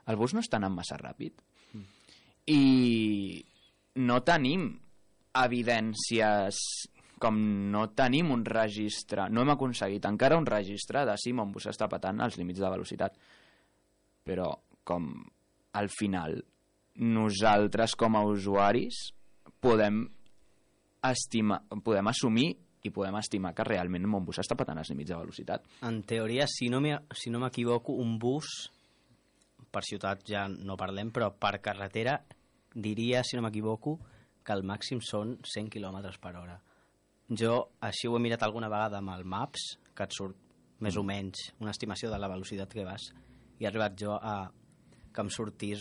el bus no està anant massa ràpid. I no tenim evidències, com no tenim un registre, no hem aconseguit encara un registre de si mon bus està patant els límits de velocitat. Però com al final nosaltres com a usuaris podem assumir i podem estimar que realment mon bus està patant els límits de velocitat. En teoria, si no m'equivoco, un bus... per ciutat ja no parlem, però per carretera diria, si no m'equivoco, que el màxim són 100 km per hora. Jo així ho he mirat alguna vegada amb el Maps, que et surt més o menys una estimació de la velocitat que vas, i he arribat jo a que em sortís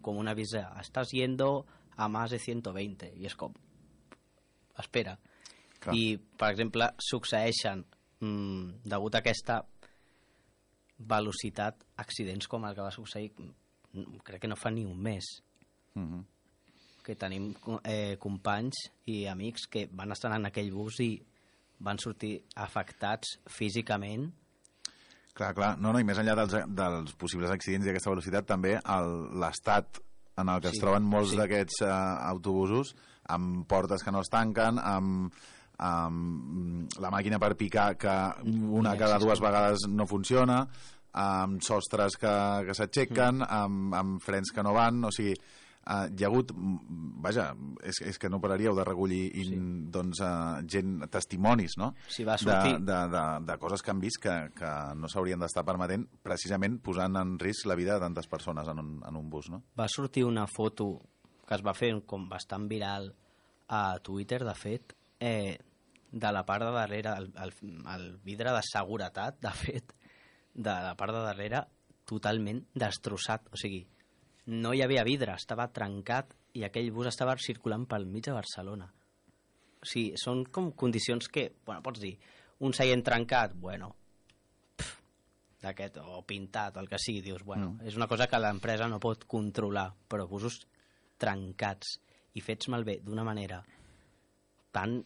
com una visa, estàs yendo a más de 120, i és com, espera. Clar. I, per exemple, succeeixen, degut a aquesta velocitat, accidents com el que va succeir, crec que no fa ni un mes. Que tenim companys i amics que van estar en aquell bus i van sortir afectats físicament. Clar. No, i més enllà dels possibles accidents i aquesta velocitat, també l'estat en el que es troben molts d'aquests autobusos, amb portes que no es tanquen, amb la màquina per picar que una cada dues vegades no funciona, amb sostres que s'aixequen, amb frens que no van, o sigui, hi ha hagut, vaja, és que no pararíeu de recollir testimonis, no? De coses que han vist que no s'haurien d'estar permetent, precisament posant en risc la vida de tantes persones en un bus, no? Va sortir una foto que es va fer com bastant viral a Twitter, de fet, de la part de darrere, el vidre de seguretat, de fet, de la part de darrere, totalment destrossat. O sigui, no hi havia vidre, estava trencat i aquell bus estava circulant pel mig de Barcelona. O sigui, són com condicions que, bueno, pots dir, un seient trencat, bueno, d'aquest, o pintat, el que sigui, dius, bueno, és una cosa que l'empresa no pot controlar, però busos trencats i fets malbé d'una manera tan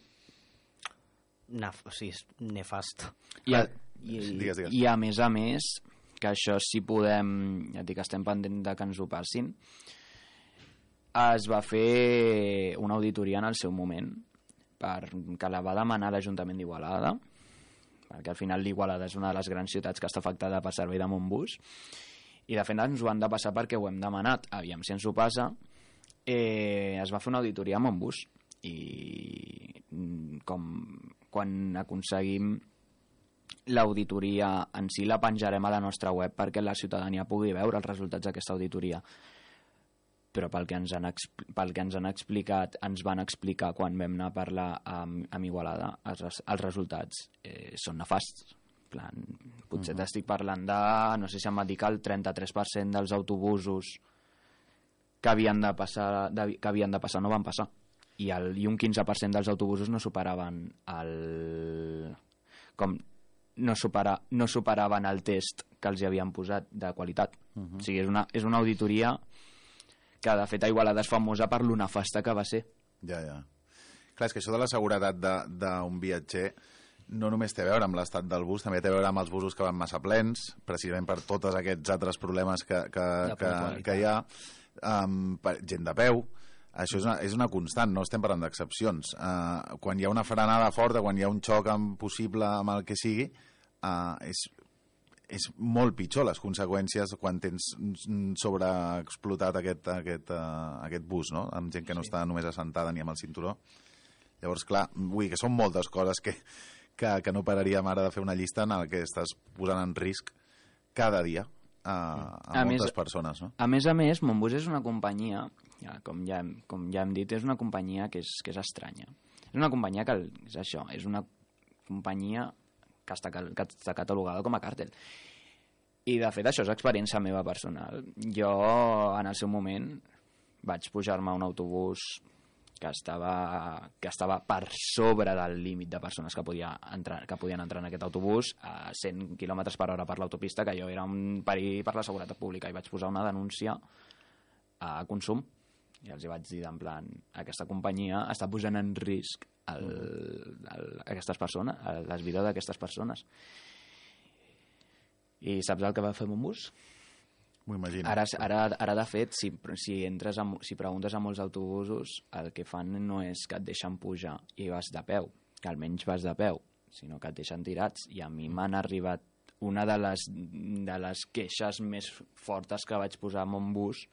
nefasta. I a més, que això si podem, ja et dic, estem pendents de que ens ho passin, es va fer una auditoria en el seu moment que la va demanar l'Ajuntament d'Igualada, perquè al final l'Igualada és una de les grans ciutats que està afectada per servei de Montbus, i de fet ens ho han de passar perquè ho hem demanat. Aviam si ens ho passa. Es va fer una auditoria a Montbus i quan aconseguim l'auditoria en si la penjarem a la nostra web perquè la ciutadania pugui veure els resultats d'aquesta auditoria. Però pel que ens han explicat, ens van explicar quan vam anar a parlar amb Igualada, els resultats són nefasts. Potser t'estic parlant de, no sé si em va dir que el 33% dels autobusos que havien de passar no van passar, i un 15% dels autobusos no superaven no superaven el test que els hi havien posat de qualitat. O sigui, és una auditoria que de fet a Igualada és famosa per lo nefasta que va ser. Ja. Clar, és que això de la seguretat d'un viatger no només té a veure amb l'estat del bus, també té a veure amb els busos que van massa plens, precisament per tots aquests altres problemes que hi ha, gent de peu. Això és una constant, no estem parlant d'excepcions. Quan hi ha una frenada forta, quan hi ha un xoc possible amb el que sigui, és molt pitjor les conseqüències quan tens sobreexplotat aquest bus, no? Amb gent que no està només assentada ni amb el cinturó. Llavors, clar, vull dir que són moltes coses que no pararíem ara de fer una llista en el que estàs posant en risc cada dia a moltes persones, no? A més, Montbus és una companyia, com ja hem dit, és una companyia que és estranya. És una companyia que és això, és una companyia que està catalogada com a càrtel. I, de fet, això és experiència meva personal. Jo, en el seu moment, vaig pujar-me a un autobús que estava per sobre del límit de persones que podien entrar en aquest autobús a 100 km per hora per l'autopista, que jo era un perill per la seguretat pública, i vaig posar una denúncia a Consum i els hi vaig dir, en plan, aquesta companyia està posant en risc aquestes persones, les vides d'aquestes persones. I saps el que va fer Montbus? M'ho imagino. Ara de fet, si preguntes a molts autobusos, el que fan no és que et deixen pujar i vas de peu, que almenys vas de peu, sinó que et deixen tirats. I a mi m'han arribat una de les queixes més fortes que vaig posar a Montbus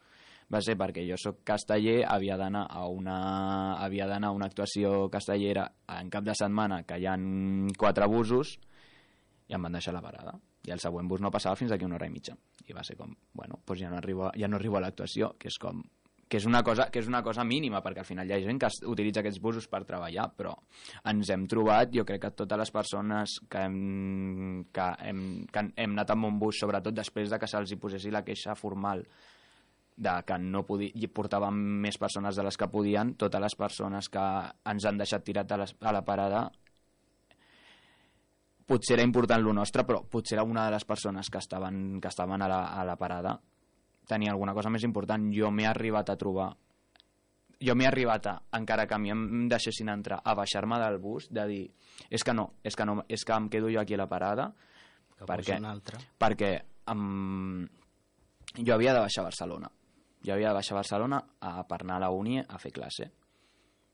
va ser perquè jo soc casteller, havia d'anar a una actuació castellera en cap de setmana, que hi ha 4 busos, i em van deixar la parada. I el següent bus no passava fins d'aquí 1 hora i mitja. I va ser com, bueno, doncs ja no arribo a l'actuació, que és una cosa mínima, perquè al final hi ha gent que utilitza aquests busos per treballar, però ens hem trobat, jo crec que totes les persones que hem anat amb un bus, sobretot després de que se'ls hi posessi la queixa formal de que no portàvem més persones de les que podien, totes les persones que ens han deixat tirat a la parada, potser era important lo nostre, però potser era una de les persones que estaven a la parada tenia alguna cosa més important. Jo m'he arribat a, encara que a mi em deixessin entrar, a baixar-me del bus, de dir, és que em quedo jo aquí a la parada, perquè jo havia de baixar a Barcelona. Per anar a la uni a fer classe.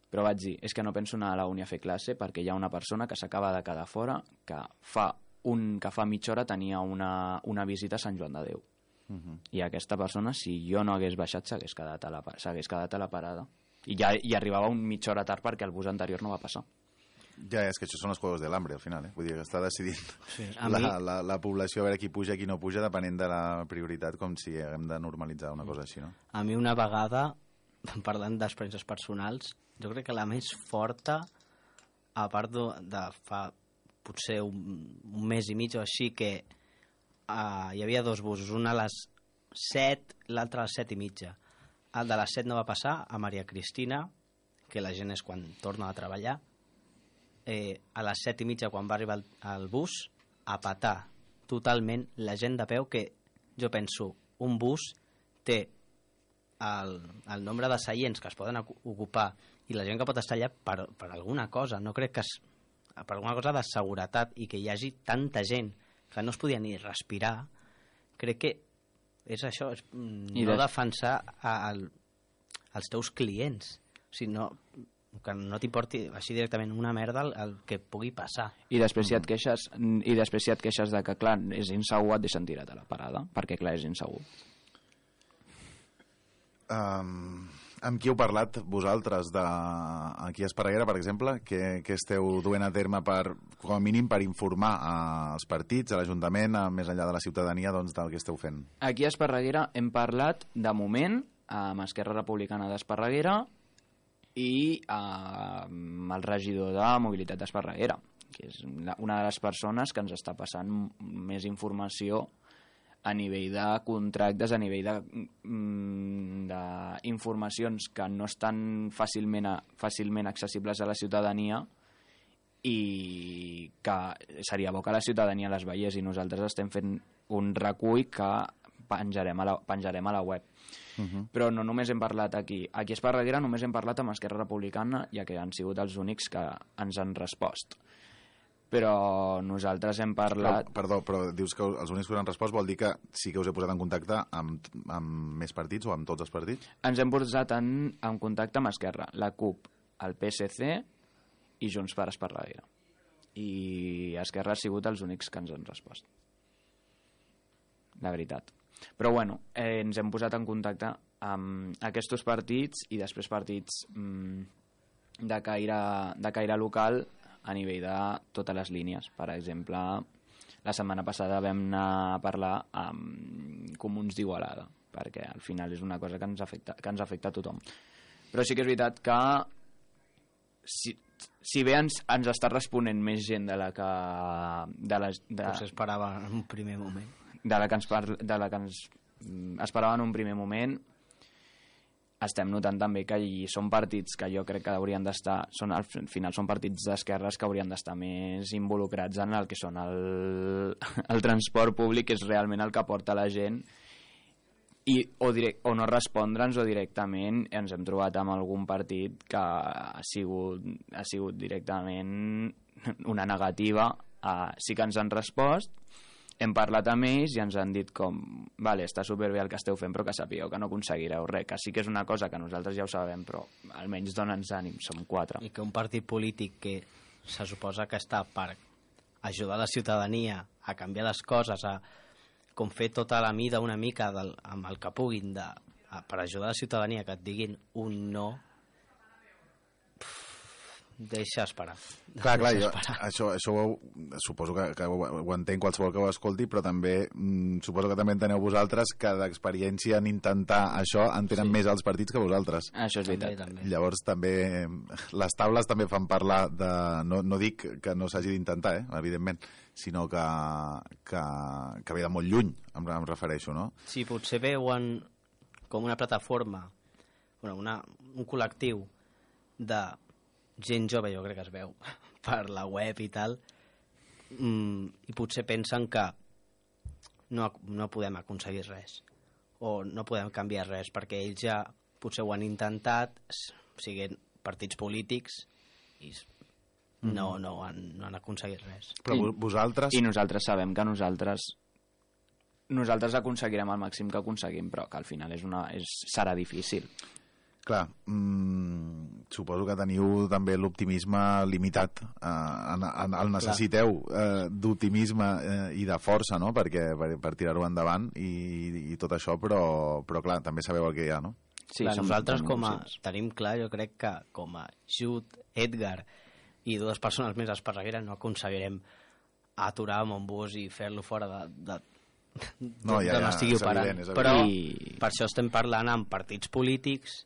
Però vaig dir, és que no penso anar a la uni a fer classe perquè hi ha una persona que s'acaba de quedar fora, que fa mitja hora tenia una visita a Sant Joan de Déu. I aquesta persona, si jo no hagués baixat, s'hagués quedat a la parada. I arribava mitja hora tard perquè el bus anterior no va passar. Ja, és que això són els juegos de l'hambre, al final. Vull dir que està decidint la població a veure qui puja i qui no puja, depenent de la prioritat, com si haguem de normalitzar una cosa així, no? A mi una vegada, parlant d'experiències personals, jo crec que la més forta, a part de fa potser un mes i mig o així, que hi havia 2 busos, un a les 7, l'altre a les 7 i mitja. El de les 7 no va passar a Maria Cristina, que la gent és quan torna a treballar, a les 7 i mitja, quan va arribar el bus, a petar totalment la gent de peu, que jo penso, un bus té el nombre de seients que es poden ocupar i la gent que pot estar allà per alguna cosa. No crec que per alguna cosa de seguretat, i que hi hagi tanta gent que no es podia ni respirar. Crec que és això, és no defensar els teus clients, sinó que no t'importi així directament una merda el que pugui passar. I després si et queixes de que, clar, és insegur, et deixen tirat a la parada, perquè, clar, és insegur. Amb qui heu parlat vosaltres aquí a Esparreguera, per exemple? Què esteu duent a terme com a mínim per informar als partits, a l'Ajuntament, més enllà de la ciutadania, doncs, del que esteu fent? Aquí a Esparreguera hem parlat, de moment, amb Esquerra Republicana d'Esparreguera i amb el regidor de Mobilitat d'Esparreguera, que és una de les persones que ens està passant més informació a nivell de contractes, a nivell d'informacions que no estan fàcilment accessibles a la ciutadania i que seria bo que la ciutadania les veiés, i nosaltres estem fent un recull que penjarem a la web. Però no només hem parlat aquí. Aquí a Esparreguera només hem parlat amb Esquerra Republicana, ja que han sigut els únics que ens han respost. Però nosaltres hem parlat... Però dius que els únics que us han respost vol dir que sí que us he posat en contacte amb més partits o amb tots els partits? Ens hem posat en contacte amb Esquerra, la CUP, el PSC i Junts per Esparreguera. I Esquerra ha sigut els únics que ens han respost. La veritat. Però bueno, ens hem posat en contacte amb aquests partits i després partits de caire local a nivell de totes les línies. Per exemple, la setmana passada vam anar a parlar amb Comuns d'Igualada, perquè al final és una cosa que ens afecta a tothom. Però sí que és veritat que si bé ens està responent més gent de la que... Potser esperava en un primer moment. De la que ens esperava en un primer moment, estem notant també que són partits que jo crec que haurien d'estar, al final són partits d'esquerres que haurien d'estar més involucrats en el que són el transport públic, que és realment el que porta la gent, o no respondre'ns, o directament ens hem trobat amb algun partit que ha sigut directament una negativa. Sí que ens han respost, hem parlat amb ells i ens han dit com, vale, està superbé el que esteu fent, però que sapigueu que no aconseguireu res, que sí que és una cosa que nosaltres ja ho sabem, però almenys dona'ns ànim, som 4. I que un partit polític que se suposa que està per ajudar la ciutadania a canviar les coses, a com fer tota la mida una mica amb el que puguin per ajudar la ciutadania, que et diguin un no, deixa esperar. Clar, això suposo que ho entenc qualsevol que ho escolti, però també suposo que també enteneu vosaltres que d'experiència en intentar això en tenen més els partits que vosaltres. Això és veritat. També. Llavors també les taules també fan parlar de... No dic que no s'hagi d'intentar, evidentment, sinó que ve de molt lluny, em refereixo, no? Sí, potser veuen com una plataforma, un col·lectiu de gent jove, jo crec que es veu per la web i tal, i potser pensen que no podem aconseguir res o no podem canviar res, perquè ells ja potser ho han intentat, siguin partits polítics, i no han aconseguit res. Però vosaltres... I nosaltres sabem que nosaltres aconseguirem el màxim que aconseguim, però que al final serà difícil. Clar, suposo que teniu també l'optimisme limitat, el necessiteu d'optimisme i de força, no?, per tirar-ho endavant i tot això, però clar, també sabeu el que hi ha, no? Sí, nosaltres tenim clar, jo crec que com a Jut, Edgar i 2 persones més a Esparreguera no aconseguirem aturar amb un bus i fer-lo fora d'on estigui operant. Però per això estem parlant amb partits polítics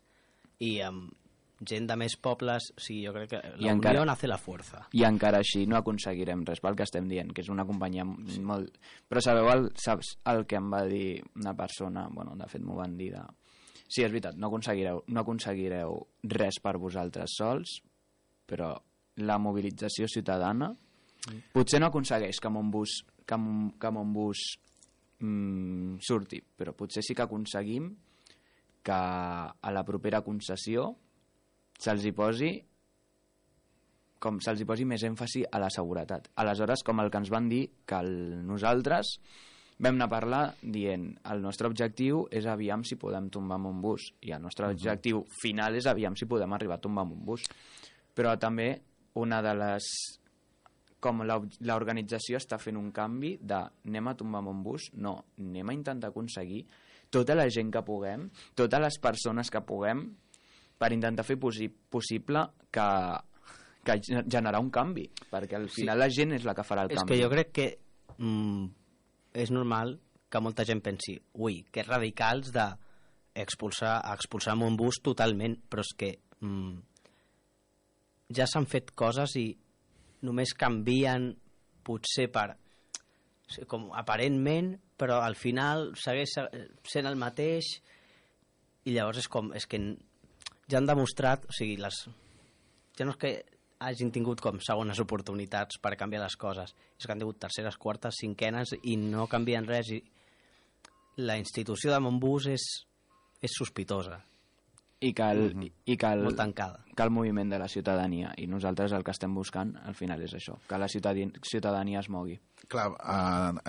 i amb gent de més pobles. O sigui, jo crec que la unió hace la fuerza. I encara així no aconseguirem res pel que estem dient, que és una companyia molt... Però saps el que em va dir una persona? De fet m'ho van dir Sí, és veritat, no aconseguireu res per vosaltres sols, però la mobilització ciutadana potser no aconsegueix que amb un bus que Montbus surti, però potser sí que aconseguim que a la propera concessió se'ls hi posi més èmfasi a la seguretat. Aleshores, com el que ens van dir, que nosaltres vam anar a parlar dient el nostre objectiu és aviam si podem tombar Montbus, i el nostre objectiu final és aviam si podem arribar a tombar Montbus. Però també una de les... com l'organització està fent un canvi de anem a tombar Montbus, no, anem a intentar aconseguir tota la gent que puguem, totes les persones que puguem, per intentar fer possible que generar un canvi, perquè al final la gent és la que farà el canvi. És que jo crec que és normal que molta gent pensi que radicals d'expulsar Montbus totalment, però és que ja s'han fet coses i només canvien potser com aparentment, però al final segueix sent el mateix, i llavors és que ja han demostrat, o sigui, ja no és que hagin tingut com segones oportunitats per canviar les coses, és que han tingut terceres, quartes, cinquenes i no canvien res, i la institució de Montbus és sospitosa. I que molt tancada. Que el moviment de la ciutadania, i nosaltres el que estem buscant al final és això, que la ciutadania es mogui. Clar,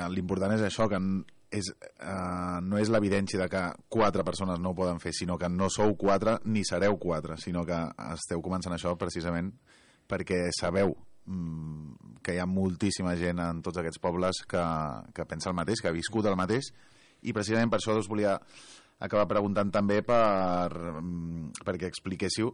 l'important és això, que no és l'evidència de que 4 persones no ho poden fer, sinó que no sou 4 ni sereu 4, sinó que esteu començant això precisament perquè sabeu que hi ha moltíssima gent en tots aquests pobles que pensa el mateix, que ha viscut el mateix, i precisament per això us volia acabar preguntant també perquè expliquéssiu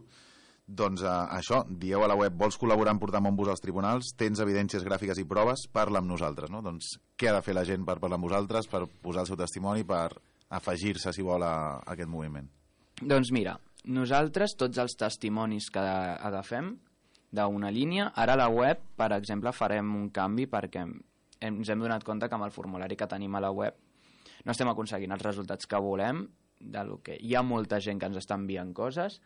doncs això, dieu a la web, vols col·laborar en portar Montbus als tribunals, tens evidències gràfiques i proves, parla amb nosaltres, no? Doncs què ha de fer la gent per parlar amb vosaltres, per posar el seu testimoni, per afegir-se, si vol, a aquest moviment? Doncs mira, nosaltres tots els testimonis que agafem d'una línia, ara a la web, per exemple, farem un canvi perquè ens hem donat compte que amb el formulari que tenim a la web no estem aconseguint els resultats que volem, hi ha molta gent que ens està enviant coses,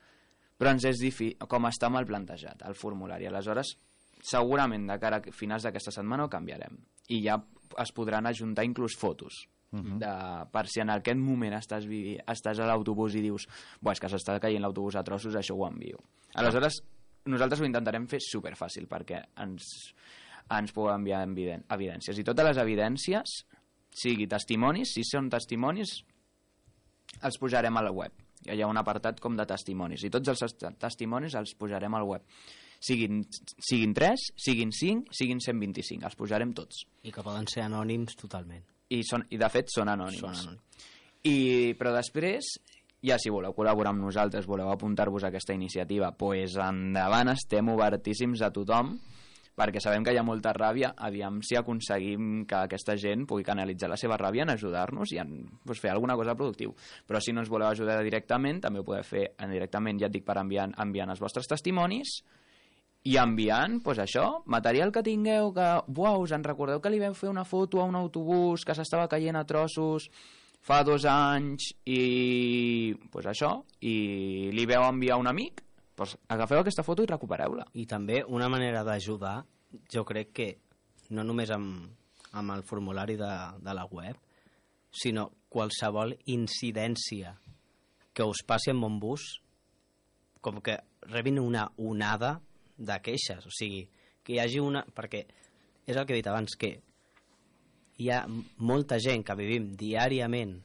però ens és difícil, com està mal plantejat el formulari. Aleshores, segurament de cara a finals d'aquesta setmana ho canviarem, i ja es podran ajuntar inclús fotos, per si en aquest moment estàs a l'autobús i dius és que s'està caient l'autobús a trossos, això ho envio. Aleshores, nosaltres ho intentarem fer superfàcil perquè ens pugueu enviar evidències, i totes les evidències, sigui testimonis, si són testimonis, els pujarem a la web. Hi ha un apartat com de testimonis, i tots els testimonis els pujarem al web. Siguin 3, siguin 5, siguin 125, els pujarem tots. I que poden ser anònims totalment. I de fet són anònims. Però després, ja si voleu col·laborar amb nosaltres, voleu apuntar-vos a aquesta iniciativa, doncs endavant, estem obertíssims a tothom, perquè sabem que hi ha molta ràbia, aviam si aconseguim que aquesta gent pugui canalitzar la seva ràbia en ajudar-nos i en fer alguna cosa productiu. Però si no ens voleu ajudar directament, també ho podeu fer indirectament, ja et dic, per enviant els vostres testimonis i enviant, això, material que tingueu, que, us en recordeu que li vam fer una foto a un autobús que s'estava caient a trossos fa 2 anys i això, i li vau enviar un amic, agafeu aquesta foto i recupereu-la. I també una manera d'ajudar, jo crec que no només amb el formulari de la web, sinó qualsevol incidència que us passi amb Montbus, com que rebin una onada de queixes, o sigui, que hi hagi una... Perquè és el que he dit abans, que hi ha molta gent que vivim diàriament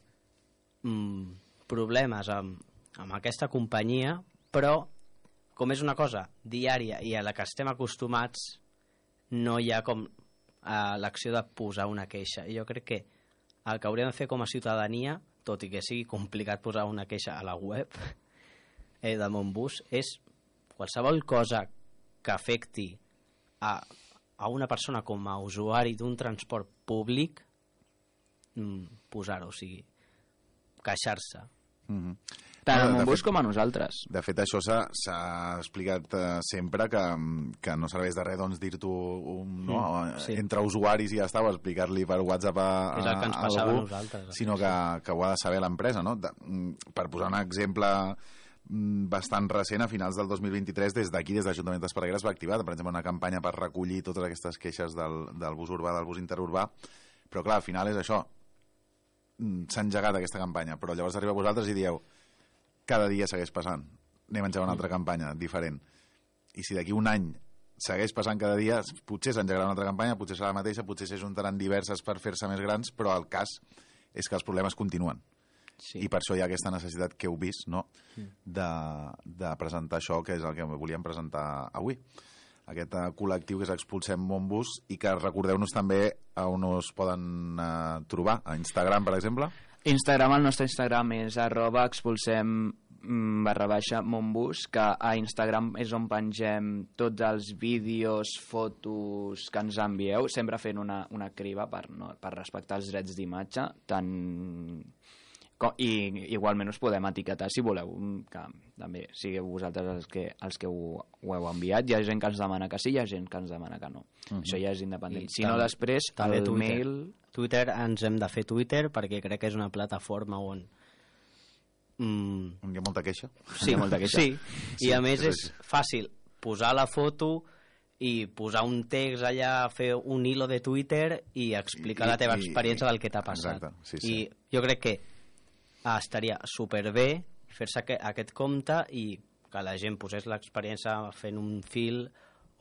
problemes amb aquesta companyia, però com és una cosa diària i a la que estem acostumats, no hi ha com l'acció de posar una queixa. I jo crec que el que hauríem de fer com a ciutadania, tot i que sigui complicat posar una queixa a la web de Montbus, és qualsevol cosa que afecti a una persona com a usuari d'un transport públic, posar-ho, o sigui, queixar-se. Tant a Montbus com a nosaltres. De fet, això s'ha explicat sempre, que no serveix de res dir-t'ho entre usuaris i ja està, o explicar-li per WhatsApp a algú, sinó que ho ha de saber l'empresa, no? Per posar un exemple bastant recent, a finals del 2023, des d'aquí, des de l'Ajuntament d'Esparreguera, es va activar, per exemple, una campanya per recollir totes aquestes queixes del bus urbà, del bus interurbà, però clar, al final és això, s'ha engegat aquesta campanya, però llavors arriba a vosaltres i dieu, cada dia segueix passant, anem a engegar una altra campanya diferent, i si d'aquí un any segueix passant cada dia, potser s'engegarà una altra campanya, potser serà la mateixa, potser s'ajuntaran diverses per fer-se més grans, però el cas és que els problemes continuen. I per això hi ha aquesta necessitat que heu vist, no?, de presentar això, que és el que volíem presentar avui. Aquest col·lectiu que és Expulsem Montbus, i que recordeu-nos també a on us poden trobar, a Instagram, per exemple. Instagram, el nostre Instagram és @expulsem_Montbus, que a Instagram és on pengem tots els vídeos, fotos que ens envieu, sempre fent una criba per respectar els drets d'imatge, i igualment us podem etiquetar si voleu, que també sigueu vosaltres els que ho heu enviat. Hi ha gent que ens demana que sí, hi ha gent que ens demana que no. Això ja és independent. Si no, després, el mail... Twitter, ens hem de fer Twitter, perquè crec que és una plataforma on... On hi ha molta queixa. Sí, hi ha molta queixa. Sí. I a més és fàcil posar la foto i posar un text allà, fer un hilo de Twitter i explicar la teva experiència del que t'ha passat. Exacte, sí. I jo crec que estaria superbé fer-se aquest compte i que la gent posés l'experiència fent un fil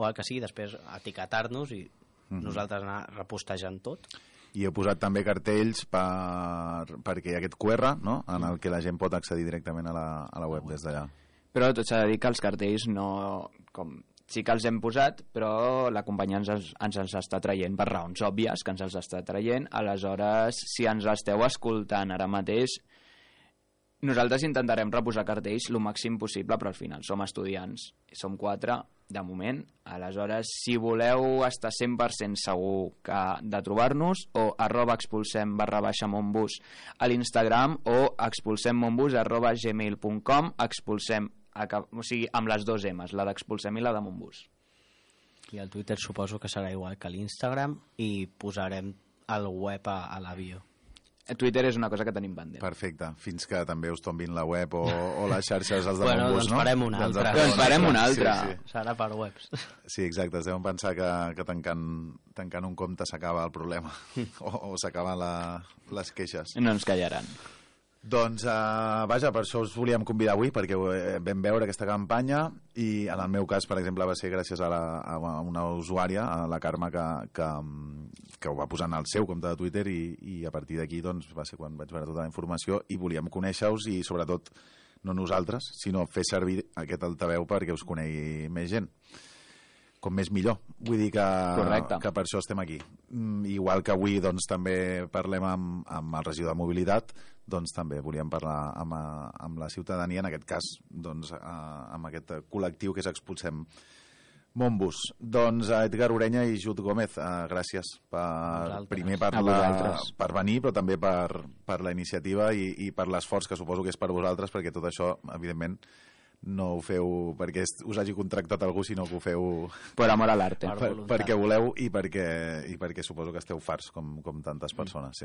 o el que sigui, després etiquetar-nos i nosaltres anar repostejant tot. I he posat també cartells perquè hi ha aquest QR, no?, en el que la gent pot accedir directament a la web des d'allà. Però tot s'ha de dir que els cartells no... Sí que els hem posat, però la companyia ens els està traient per raons òbvies, que ens els està traient. Aleshores, si ens esteu escoltant ara mateix, nosaltres intentarem reposar cartells el màxim possible, però al final som estudiants, som 4 de moment. Aleshores, si voleu estar 100% segur de trobar-nos, o @expulsem_Montbus a l'Instagram o expulsemmontbus@gmail.com, expulsem, o sigui, amb les 2 M's, la d'Expulsem i la de Montbus. I el Twitter suposo que serà igual que l'Instagram i posarem el web a l'avió. Twitter és una cosa que tenim pendent. Perfecte, fins que també us tombin la web o les xarxes els de Montbus, no? Doncs farem una altra. Doncs farem una altra. Sí. Serà per webs. Sí, exacte, es deuen pensar que tancant un compte s'acaba el problema o s'acaben les queixes. No ens callaran. Doncs, vaja, per això us volíem convidar avui, perquè vam veure aquesta campanya i en el meu cas, per exemple, va ser gràcies a una usuària, a la Carme, que ho va posar en el seu compte de Twitter i a partir d'aquí doncs, va ser quan vaig veure tota la informació i volíem conèixer-us i sobretot no nosaltres, sinó fer servir aquest altaveu perquè us conegui més gent. Com més millor. Vull dir que per això estem aquí. Igual que avui doncs, també parlem amb el regidor de mobilitat, doncs també volíem parlar amb la ciutadania, en aquest cas doncs, amb aquest col·lectiu que és Expulsem Montbus. Doncs Edgar Orenya i Jut Gómez, gràcies primer per venir, però també per la iniciativa i per l'esforç que suposo que és per vosaltres, perquè tot això, evidentment, no ho feu perquè us hagi contractat algú, sinó que ho feu per amor a l'arte, perquè voleu i perquè suposo que esteu farts com tantes persones.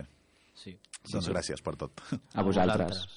Sí. Doncs gràcies per tot. A vosaltres.